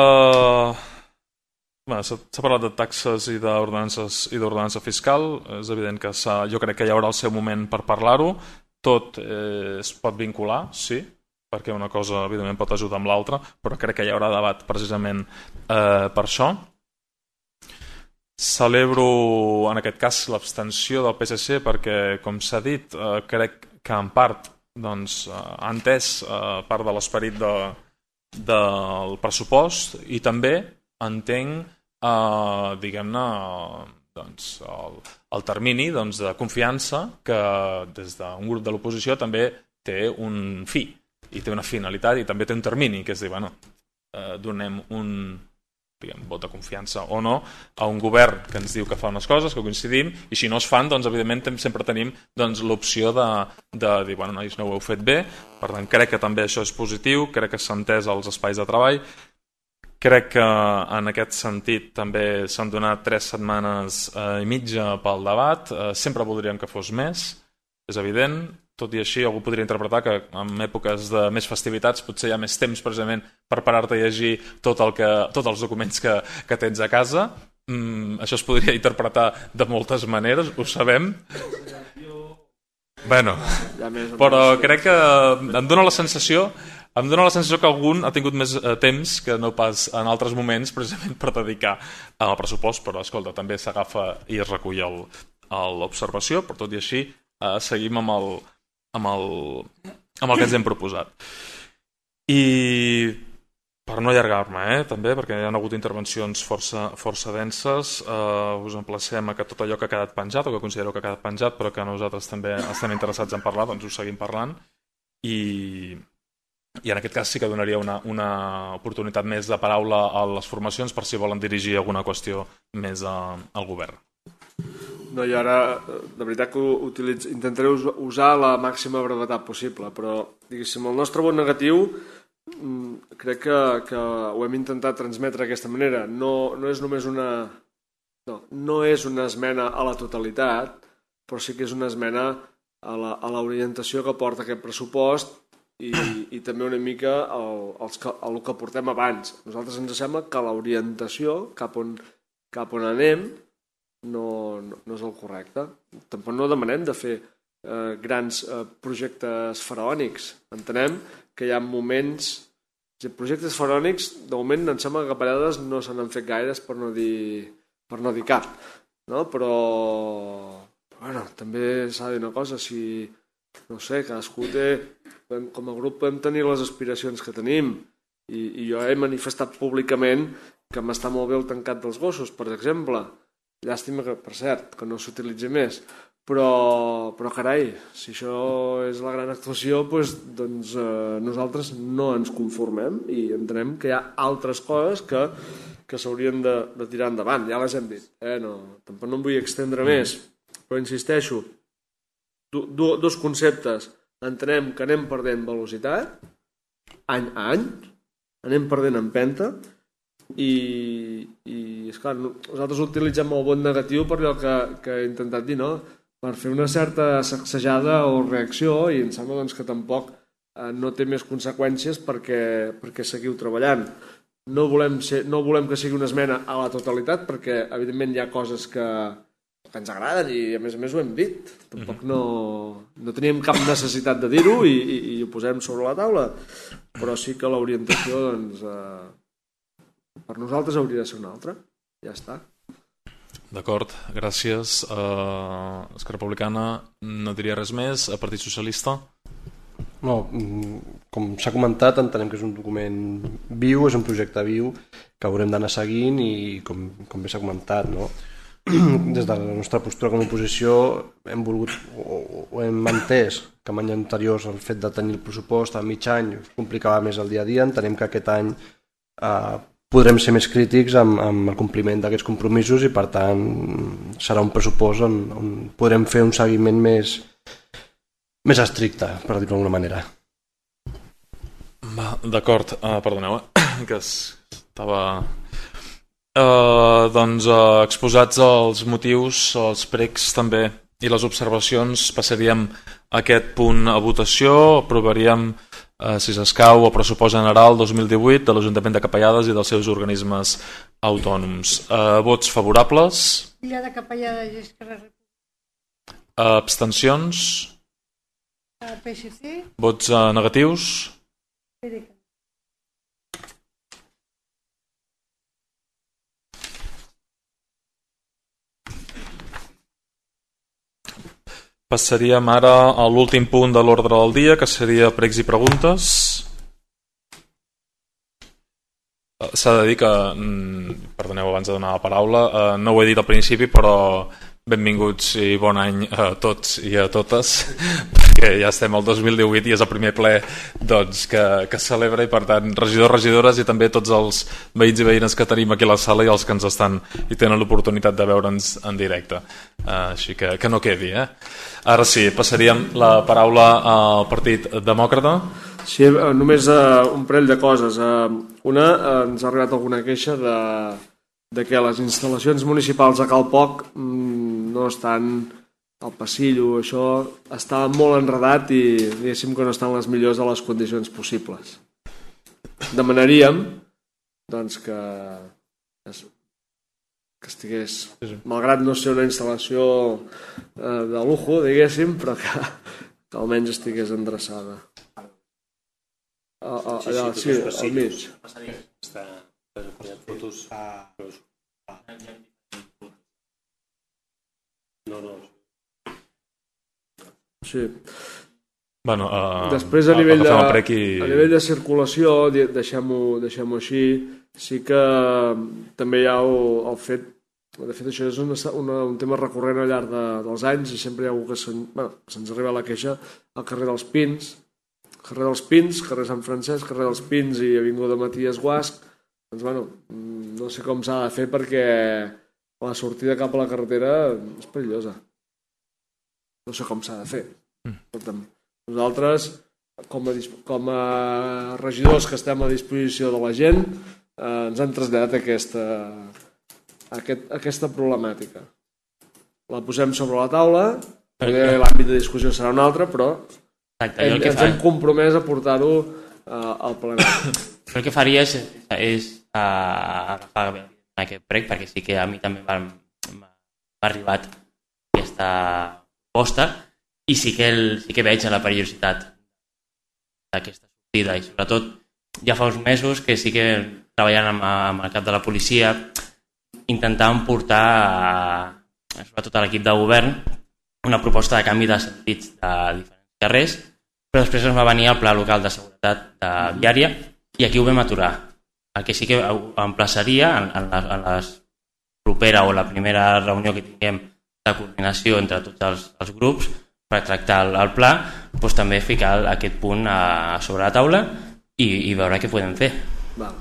s'ha parlat de taxes i d'ordenança fiscal. És evident que jo crec que hi haurà el seu moment per parlar-ho. Tot es pot vincular, sí, perquè una cosa evidentment pot ajudar amb l'altra, però crec que hi haurà debat precisament per això. Celebro en aquest cas l'abstenció del PSC perquè, com s'ha dit, crec que en part ha entès part de l'esperit del pressupost i també entenc diguem-ne el termini de confiança que des d'un grup de l'oposició també té un fi i té una finalitat i també té un termini, que és dir, donem un vot de confiança o no a un govern que ens diu que fa unes coses, que coincidim, i si no es fan, evidentment sempre tenim l'opció de dir, nois, no ho heu fet bé. Per tant, crec que també això és positiu, crec que s'ha entès als espais de treball. Crec que en aquest sentit també s'han donat 3 setmanes i mitja pel debat. Sempre voldríem que fos més, és evident. Tot i així, algú podria interpretar que en èpoques de més festivitats potser hi ha més temps precisament per parar-te a llegir tots els documents que tens a casa. Això es podria interpretar de moltes maneres, ho sabem. Però crec que em dóna la sensació que algun ha tingut més temps que no pas en altres moments precisament per dedicar al pressupost, però escolta, també s'agafa i es recull l'observació, però tot i així seguim amb el que ens hem proposat. I per no allargar-me, també, perquè hi ha hagut intervencions força denses, us emplacem a que tot allò que ha quedat penjat o que considereu que ha quedat penjat però que nosaltres també estem interessats en parlar, doncs ho seguim parlant i en aquest cas sí que donaria una oportunitat més de paraula a les formacions per si volen dirigir alguna qüestió més al govern. No, i ara, de veritat que intentaré usar la màxima brevetat possible, però, diguéssim, el nostre vot negatiu crec que ho hem intentat transmetre d'aquesta manera. No és només no és una esmena a la totalitat, però sí que és una esmena a l'orientació que porta aquest pressupost i també una mica el que portem abans. A nosaltres ens sembla que l'orientació cap on anem no és el correcte. Tampoc no demanem de fer grans projectes faraònics. Entenem que hi ha moments... Projectes faraònics, de moment em sembla que a vegades no se n'han fet gaires per no dir cap. Però també s'ha de dir una cosa, si no sé, cadascú té... Com a grup podem tenir les aspiracions que tenim i jo he manifestat públicament que m'està molt bé el tancat dels gossos, per exemple. Llàstima que, per cert, que no s'utilitzi més. Però carai, si això és la gran actuació, doncs nosaltres no ens conformem i entenem que hi ha altres coses que s'haurien de tirar endavant. Ja les hem dit. Tampoc no em vull extendre més, però insisteixo, dos conceptes. Entenem que anem perdent velocitat, any a any, anem perdent empenta, i esclar, nosaltres utilitzem el vot negatiu per allò que he intentat dir, per fer una certa sacsejada o reacció, i em sembla que tampoc no té més conseqüències perquè seguiu treballant. No volem que sigui una esmena a la totalitat perquè evidentment hi ha coses que ens agraden i a més ho hem dit. Tampoc no teníem cap necessitat de dir-ho i ho posem sobre la taula, però sí que l'orientació per nosaltres hauria de ser una altra. Ja està. D'acord, gràcies. Esquerra Republicana no diria res més. Partit Socialista? No, com s'ha comentat, entenem que és un document viu, és un projecte viu que haurem d'anar seguint i com bé s'ha comentat, des de la nostra postura com a oposició hem volgut o hem entès que en anys anteriors el fet de tenir el pressupost a mig any complicava més el dia a dia. Entenem que aquest any podrem ser més crítics amb el compliment d'aquests compromisos i per tant serà un pressupost on podrem fer un seguiment més estricte, per dir-ho d'alguna manera. D'acord, perdoneu, que estava... exposats els motius, els pregs també i les observacions, passaríem aquest punt a votació, aprovaríem si s'escau, el pressupost general 2018 de l'Ajuntament de Capellades i dels seus organismes autònoms. Vots favorables? Illa de Capellades i Esquerra Republicana. Abstencions? PSC. Vots negatius? PDeCAT. Passaríem ara a l'últim punt de l'ordre del dia, que seria pregs i preguntes. S'ha de dir que, perdoneu abans de donar la paraula, no ho he dit al principi, però benvinguts i bon any a tots i a totes, perquè ja estem al 2018 i és el primer ple que celebra, i per tant regidors, regidores i també tots els veïns i veïnes que tenim aquí a la sala i els que ens estan i tenen l'oportunitat de veure'ns en directe, així que no quedi. Ara sí, passaríem la paraula al Partit Demòcrata. Sí, només un parell de coses. Una, ens ha arribat alguna queixa de que les instal·lacions municipals a Cal Poc no estan al passillo, això està molt enredat i diguéssim que no estan les millors de les condicions possibles. Demanaríem doncs, que estigués, malgrat no ser una instal·lació de lujo, diguéssim, però que almenys estigués endreçada. Allà, sí, al mig. Sí. Bueno, després a nivell de circulació, deixem-ho així, sí que també hi ha el fet, de fet això és un tema recurrent al llarg dels anys i sempre hi ha algú que se'ns arriba la queixa al carrer dels Pins, carrer Sant Francesc, carrer dels Pins i avinguda Maties Guasch. Doncs bueno, no sé com s'ha de fer perquè la sortida cap a la carretera és perillosa. No sé com s'ha de fer. Nosaltres, com a regidors que estem a disposició de la gent, ens han traslladat aquesta problemàtica. La posem sobre la taula, l'àmbit de discussió serà un altre, però ens hem compromès a portar-ho al plenari. El que faria és agafar aquest prec, perquè sí que a mi també m'ha arribat aquesta proposta i sí que veig la perillositat d'aquesta sortida i sobretot ja fa uns mesos que sí que treballant amb el cap de la policia intentàvem portar sobretot a l'equip de govern una proposta de canvi de sentits de diferents carrers, però després ens va venir el Pla Local de Seguretat Viària i aquí ho vam aturar. El que sí que emplaçaria en la propera o la primera reunió que tinguem de coordinació entre tots els grups per tractar el pla, doncs també ficar aquest punt sobre la taula i veure què podem fer. Val.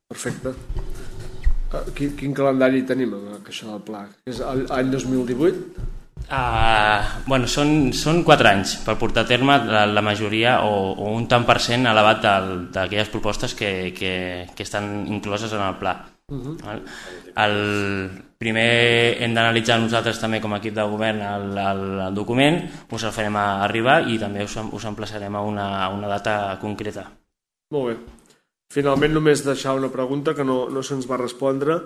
Perfecte. Quin calendari tenim amb això del pla? És l'any 2018? Bueno, són 4 anys per portar a terme la majoria o un tant per cent elevat d'aquelles propostes que estan incloses en el pla. El primer hem d'analitzar nosaltres també com a equip de govern el document, us el farem arribar i també us emplaçarem a una data concreta. Molt bé. Finalment només deixar una pregunta que no se'ns va respondre,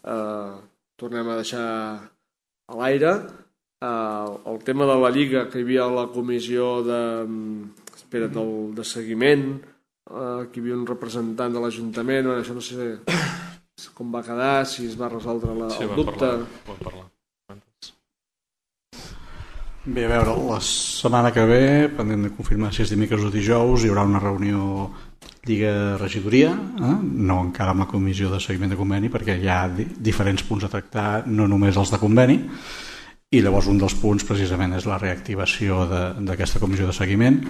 tornem a deixar a l'aire. El tema de la Lliga, que hi havia la comissió de seguiment, que hi havia un representant de l'Ajuntament, això no sé com va quedar, si es va resoldre el dubte. Vam parlar. Bé, a veure, la setmana que ve, pendent de confirmar si és dimecres o dijous, hi haurà una reunió Lliga-Regidoria, no encara amb la comissió de seguiment de conveni, perquè hi ha diferents punts a tractar, no només els de conveni, i llavors un dels punts precisament és la reactivació d'aquesta comissió de seguiment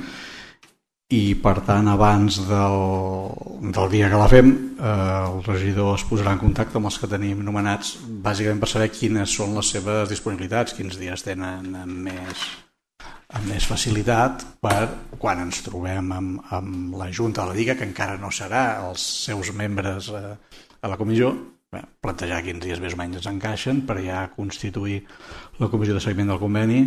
i per tant abans del dia que la fem el regidor es posarà en contacte amb els que tenim nomenats bàsicament per saber quines són les seves disponibilitats, quins dies tenen amb més facilitat per quan ens trobem amb la Junta de la Lliga, que encara no serà els seus membres a la comissió, plantejar quins dies més o menys ens encaixen per ja constituir la comissió de seguiment del conveni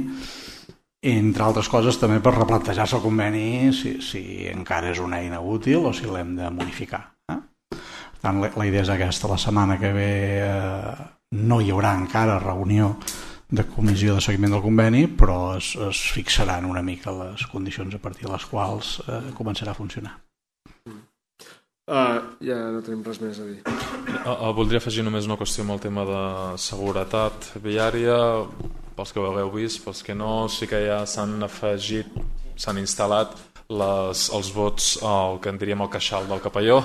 entre altres coses també per replantejar-se el conveni si encara és una eina útil o si l'hem de modificar. Per tant, la idea és aquesta. La setmana que ve no hi haurà encara reunió de comissió de seguiment del conveni, però es fixaran una mica les condicions a partir de les quals començarà a funcionar. Ja no tenim res més a dir. Voldria afegir només una qüestió amb el tema de seguretat viària. Pels que ho hagueu vist, pels que no, sí que ja s'han instal·lat els bots, el que en diríem el queixal del Capelló,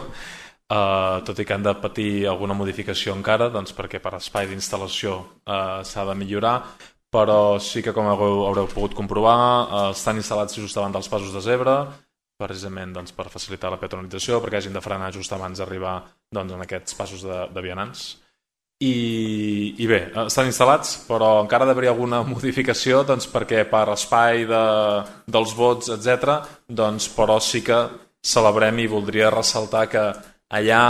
tot i que han de patir alguna modificació encara, doncs perquè per espai d'instal·lació s'ha de millorar, però sí que, com haureu pogut comprovar, estan instal·lats just davant dels passos de zebra, precisament doncs, per facilitar la peatonalització, perquè hagin de frenar just abans d'arribar doncs, en aquests passos de vianants. I bé, estan instal·lats, però encara ha d'haver alguna modificació doncs, perquè per espai dels vots, etc., doncs, però sí que celebrem i voldria ressaltar que allà,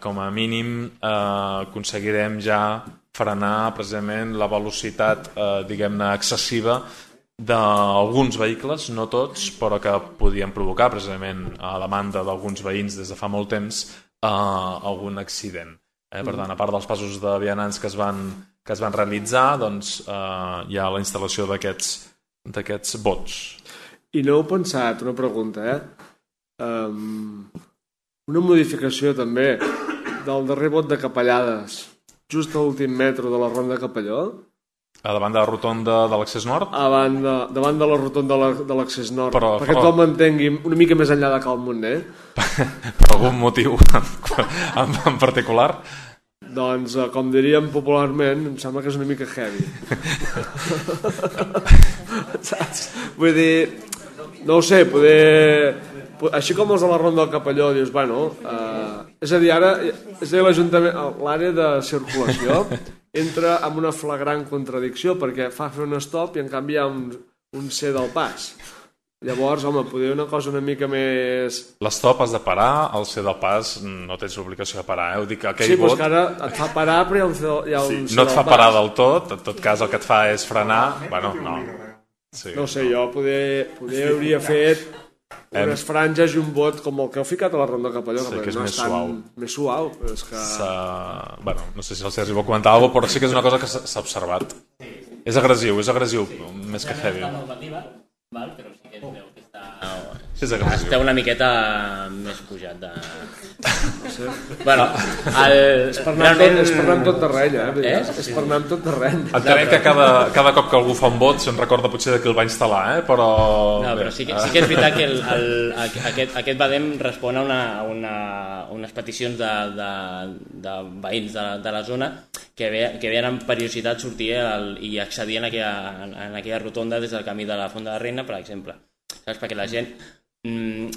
com a mínim, aconseguirem ja frenar precisament la velocitat, diguem-ne, excessiva d'alguns vehicles, no tots, però que podien provocar precisament a demanda d'alguns veïns des de fa molt temps algun accident. Per tant, a part dels passos de vianants que es van realitzar, doncs hi ha la instal·lació d'aquests bots. I no heu pensat, una pregunta, una modificació també del darrer bot de Capellades, just a l'últim metro de la Ronda de Capelló? A davant de la rotonda de l'accés nord? Davant de la rotonda de l'accés nord, perquè tothom entengui una mica més enllà de Cal Montner. Per algun motiu en particular? Doncs, com diríem popularment, em sembla que és una mica heavy. Saps? Vull dir, no ho sé, així com els de la Ronda del Capelló, dius, bueno, és a dir, ara, l'Ajuntament, l'àrea de circulació entra en una flagrant contradicció perquè fa fer un stop i en canvi hi ha un C del pas. Llavors, home, podria una cosa una mica més... L'stop has de parar, el C del pas no tens l'obligació de parar, Ho dic, sí, però és que ara et fa parar però hi ha un C no et fa parar del tot, en tot cas el que et fa és frenar, bueno, no. Sí, no sé, jo poder hauria fet unes franges i un bot com el que heu ficat a la Ronda de Capelló, que és no més suau. Més suau, però és que... Bueno, no sé si el Sergi vol comentar alguna cosa, però sí que és una cosa que s'ha observat. És agressiu, més que heavy. Val, però sí que es veu que està una miqueta més pujat de... No sé. Bueno, és per anar amb tot terreny, És per anar amb tot terreny. Entenem que cada cop que algú fa un bot se'n recorda potser de qui el va instal·lar, però... No, però sí que és veritat que aquest Badem respon a unes peticions de veïns de la zona que veien amb periodicitat sortir i accedir en aquella rotonda des del camí de la Font de la Reina, per exemple. Saps? Perquè la gent...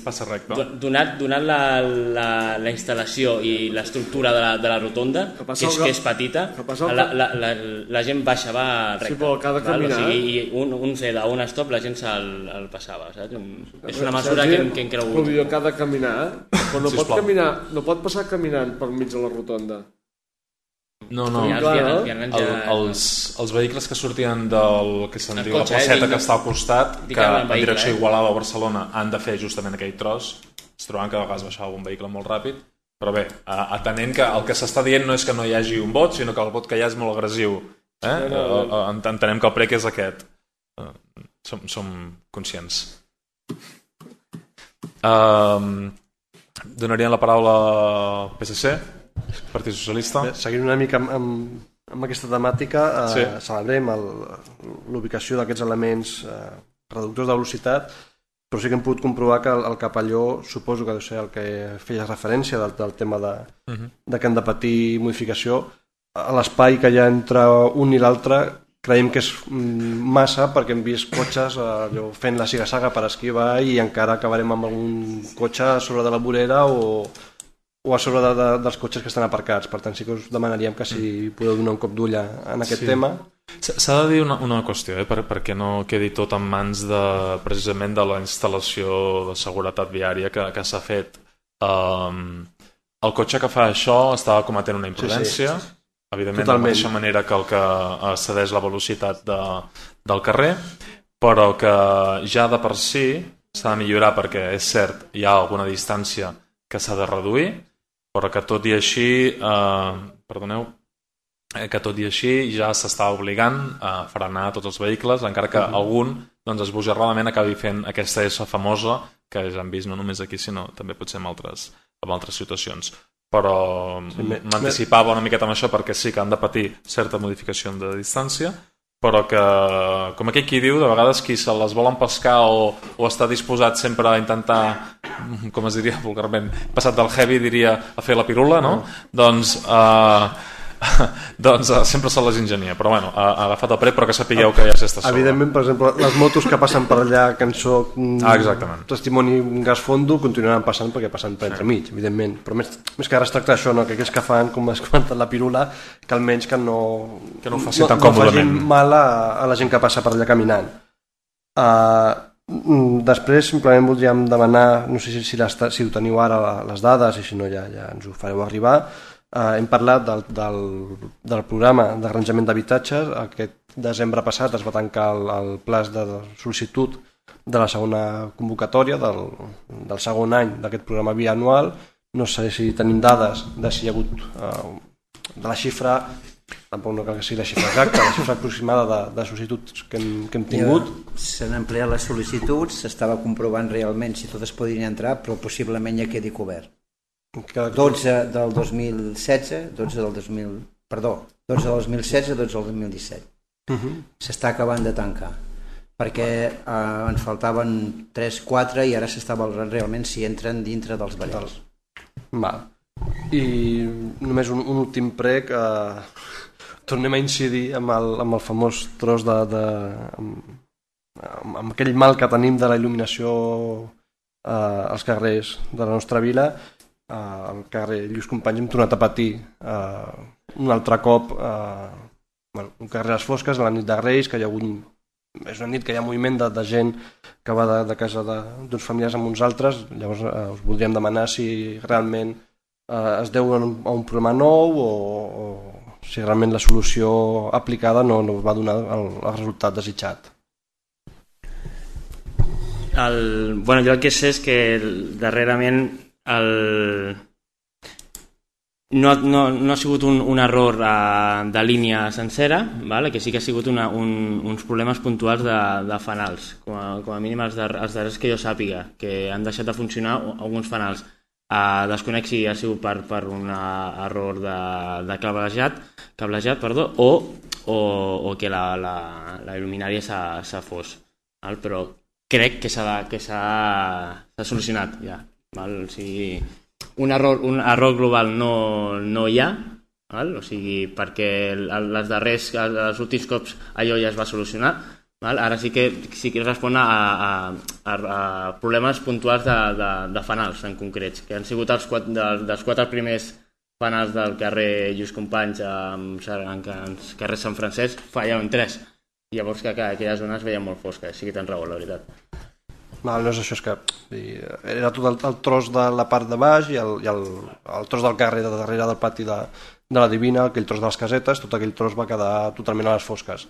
Passa recte. Donat la instal·lació i l'estructura de la rotonda, que és petita, la gent va recte. Sí, però cada caminar... O sigui, un C d'un stop la gent se'l passava, saps? És una mesura que hem cregut. Però cada caminar, però no pot passar caminant per mig de la rotonda. No. Els vehicles que sortien del que se'n diu la placeta que està al costat, que en direcció Igualada o Barcelona han de fer justament aquell tros, es troben que a vegades baixava un vehicle molt ràpid, però bé, atenent que el que s'està dient no és que no hi hagi un bot, sinó que el bot que hi ha és molt agressiu. Entenem que el prec és aquest. Som conscients. Donaríem la paraula al PSC, Partit Socialista. Seguint una mica amb aquesta temàtica, celebrem l'ubicació d'aquests elements reductors de velocitat, però sí que hem pogut comprovar que el Capelló, suposo que deu ser el que feia referència del tema de que han de patir modificació, a l'espai que hi ha entre un i l'altre creiem que és massa, perquè hem vist cotxes fent la siga-saga per esquivar i encara acabarem amb algun cotxe a sobre de la vorera o a sobre dels cotxes que estan aparcats. Per tant, sí que us demanaríem que si podeu donar un cop d'ull en aquest tema. S'ha de dir una qüestió, perquè no quedi tot en mans precisament de la instal·lació de seguretat viària que s'ha fet. El cotxe que fa això estava cometent una imprudència, evidentment de la mateixa manera que el que cedeix la velocitat del carrer, però que ja de per si s'ha de millorar perquè és cert, hi ha alguna distància que s'ha de reduir, però que tot i així ja s'està obligant a frenar tots els vehicles, encara que algun esbojarradament acabi fent aquesta S famosa que ja hem vist no només aquí sinó també potser en altres situacions. Però m'anticipava una miqueta amb això perquè sí que han de patir certa modificació de distància, però que, com aquell qui diu, de vegades qui se les volen pescar o està disposat sempre a intentar, com es diria vulgarment, passat del heavy diria a fer la pirula, no? Doncs sempre se les ingenia, però bueno, ha agafat el prec, però que sapigueu que ja s'està sobre. Evidentment, per exemple, les motos que passen per allà, que en soc testimoni gas fondo, continuaran passant perquè passen per entremig, evidentment, però més que ara es tracta d'això, no? Que aquells que fan, com has comentat, la pirula, que almenys que no ho facin tan còmodament, no facin mal a la gent que passa per allà caminant. Després simplement voldríem demanar, no sé si ho teniu ara les dades i si no ja ens ho fareu arribar. Hem parlat del programa d'arranjament d'habitatges. Aquest desembre passat es va tancar el plaç de sol·licitud de la segona convocatòria del segon any d'aquest programa bianual. No sé si tenim dades de si hi ha hagut de la xifra, tampoc no cal que sigui la xifra exacta, la xifra aproximada de sol·licituds que hem tingut. S'han ampliat les sol·licituds, s'estava comprovant realment si totes podrien entrar, però possiblement ja quedi cobert. 12 del 2016, 12 del 2016, 12 del 2017. S'està acabant de tancar, perquè ens faltaven 3-4 i ara s'està valorant realment si entren dintre dels barrils. I només un últim prec, tornem a incidir amb el famós tros amb aquell mal que tenim de la il·luminació als carrers de la nostra vila. Al carrer Lluís Companys hem tornat a patir un altre cop un carrer a les fosques a la nit de Reis, que hi ha hagut, és una nit que hi ha moviment de gent que va de casa d'uns familiars amb uns altres. Llavors us voldríem demanar si realment es deu a un problema nou o si realment la solució aplicada no va donar el resultat desitjat. Jo el que sé és que darrerament no ha sigut un error de línia sencera, que sí que ha sigut uns problemes puntuals de fanals, com a mínim els darrers que jo sàpiga, que han deixat de funcionar alguns fanals. Desconec si ha sigut per un error de cablejat, o que la il·luminària s'ha fos, però crec que s'ha solucionat ja. O sigui, un error global no hi ha, o sigui, perquè els últims cops allò ja es va solucionar. Ara sí que respon a problemes puntuals de fanals en concrets, que han sigut dels 4 primers fanals del carrer Lluís Companys en carrer Sant Francesc, fallaven 3. Llavors que aquella zona es veia molt fosca, sí que tens raó, la veritat. No és això, és que era tot el tros de la part de baix i el tros del carrer de darrere del pati de la Divina, aquell tros de les casetes, tot aquell tros va quedar totalment a les fosques.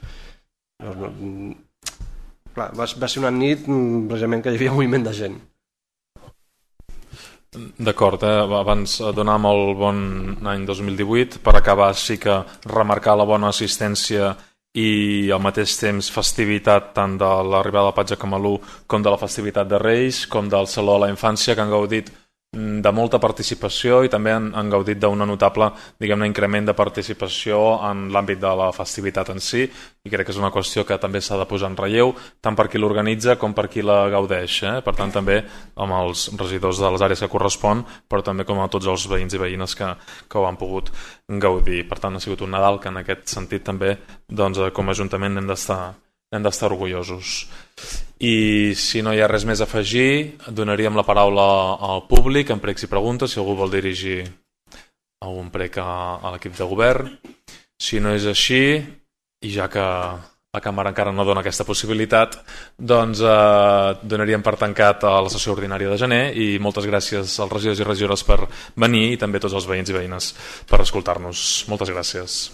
Va ser una nit precisament que hi havia moviment de gent. D'acord, abans donàvem el bon any 2018, per acabar sí que remarcar la bona assistència i al mateix temps festivitat tant de l'arribada del Patge Camalú com de la festivitat de Reis, com del Saló de la Infància, que han gaudit de molta participació i també han gaudit d'un notable, diguem-ne, increment de participació en l'àmbit de la festivitat en si, i crec que és una qüestió que també s'ha de posar en relleu, tant per qui l'organitza com per qui la gaudeix. Per tant, també amb els regidors de les àrees que correspon, però també com a tots els veïns i veïnes que ho han pogut gaudir. Per tant, ha sigut un Nadal que en aquest sentit també, com a Ajuntament, hem d'estar orgullosos. I si no hi ha res més a afegir, donaríem la paraula al públic en pregs i preguntes, si algú vol dirigir algun prec a l'equip de govern. Si no és així, i ja que la càmera encara no dona aquesta possibilitat, doncs donaríem per tancat a la sessió ordinària de gener, i moltes gràcies als regidors i regidores per venir i també a tots els veïns i veïnes per escoltar-nos. Moltes gràcies.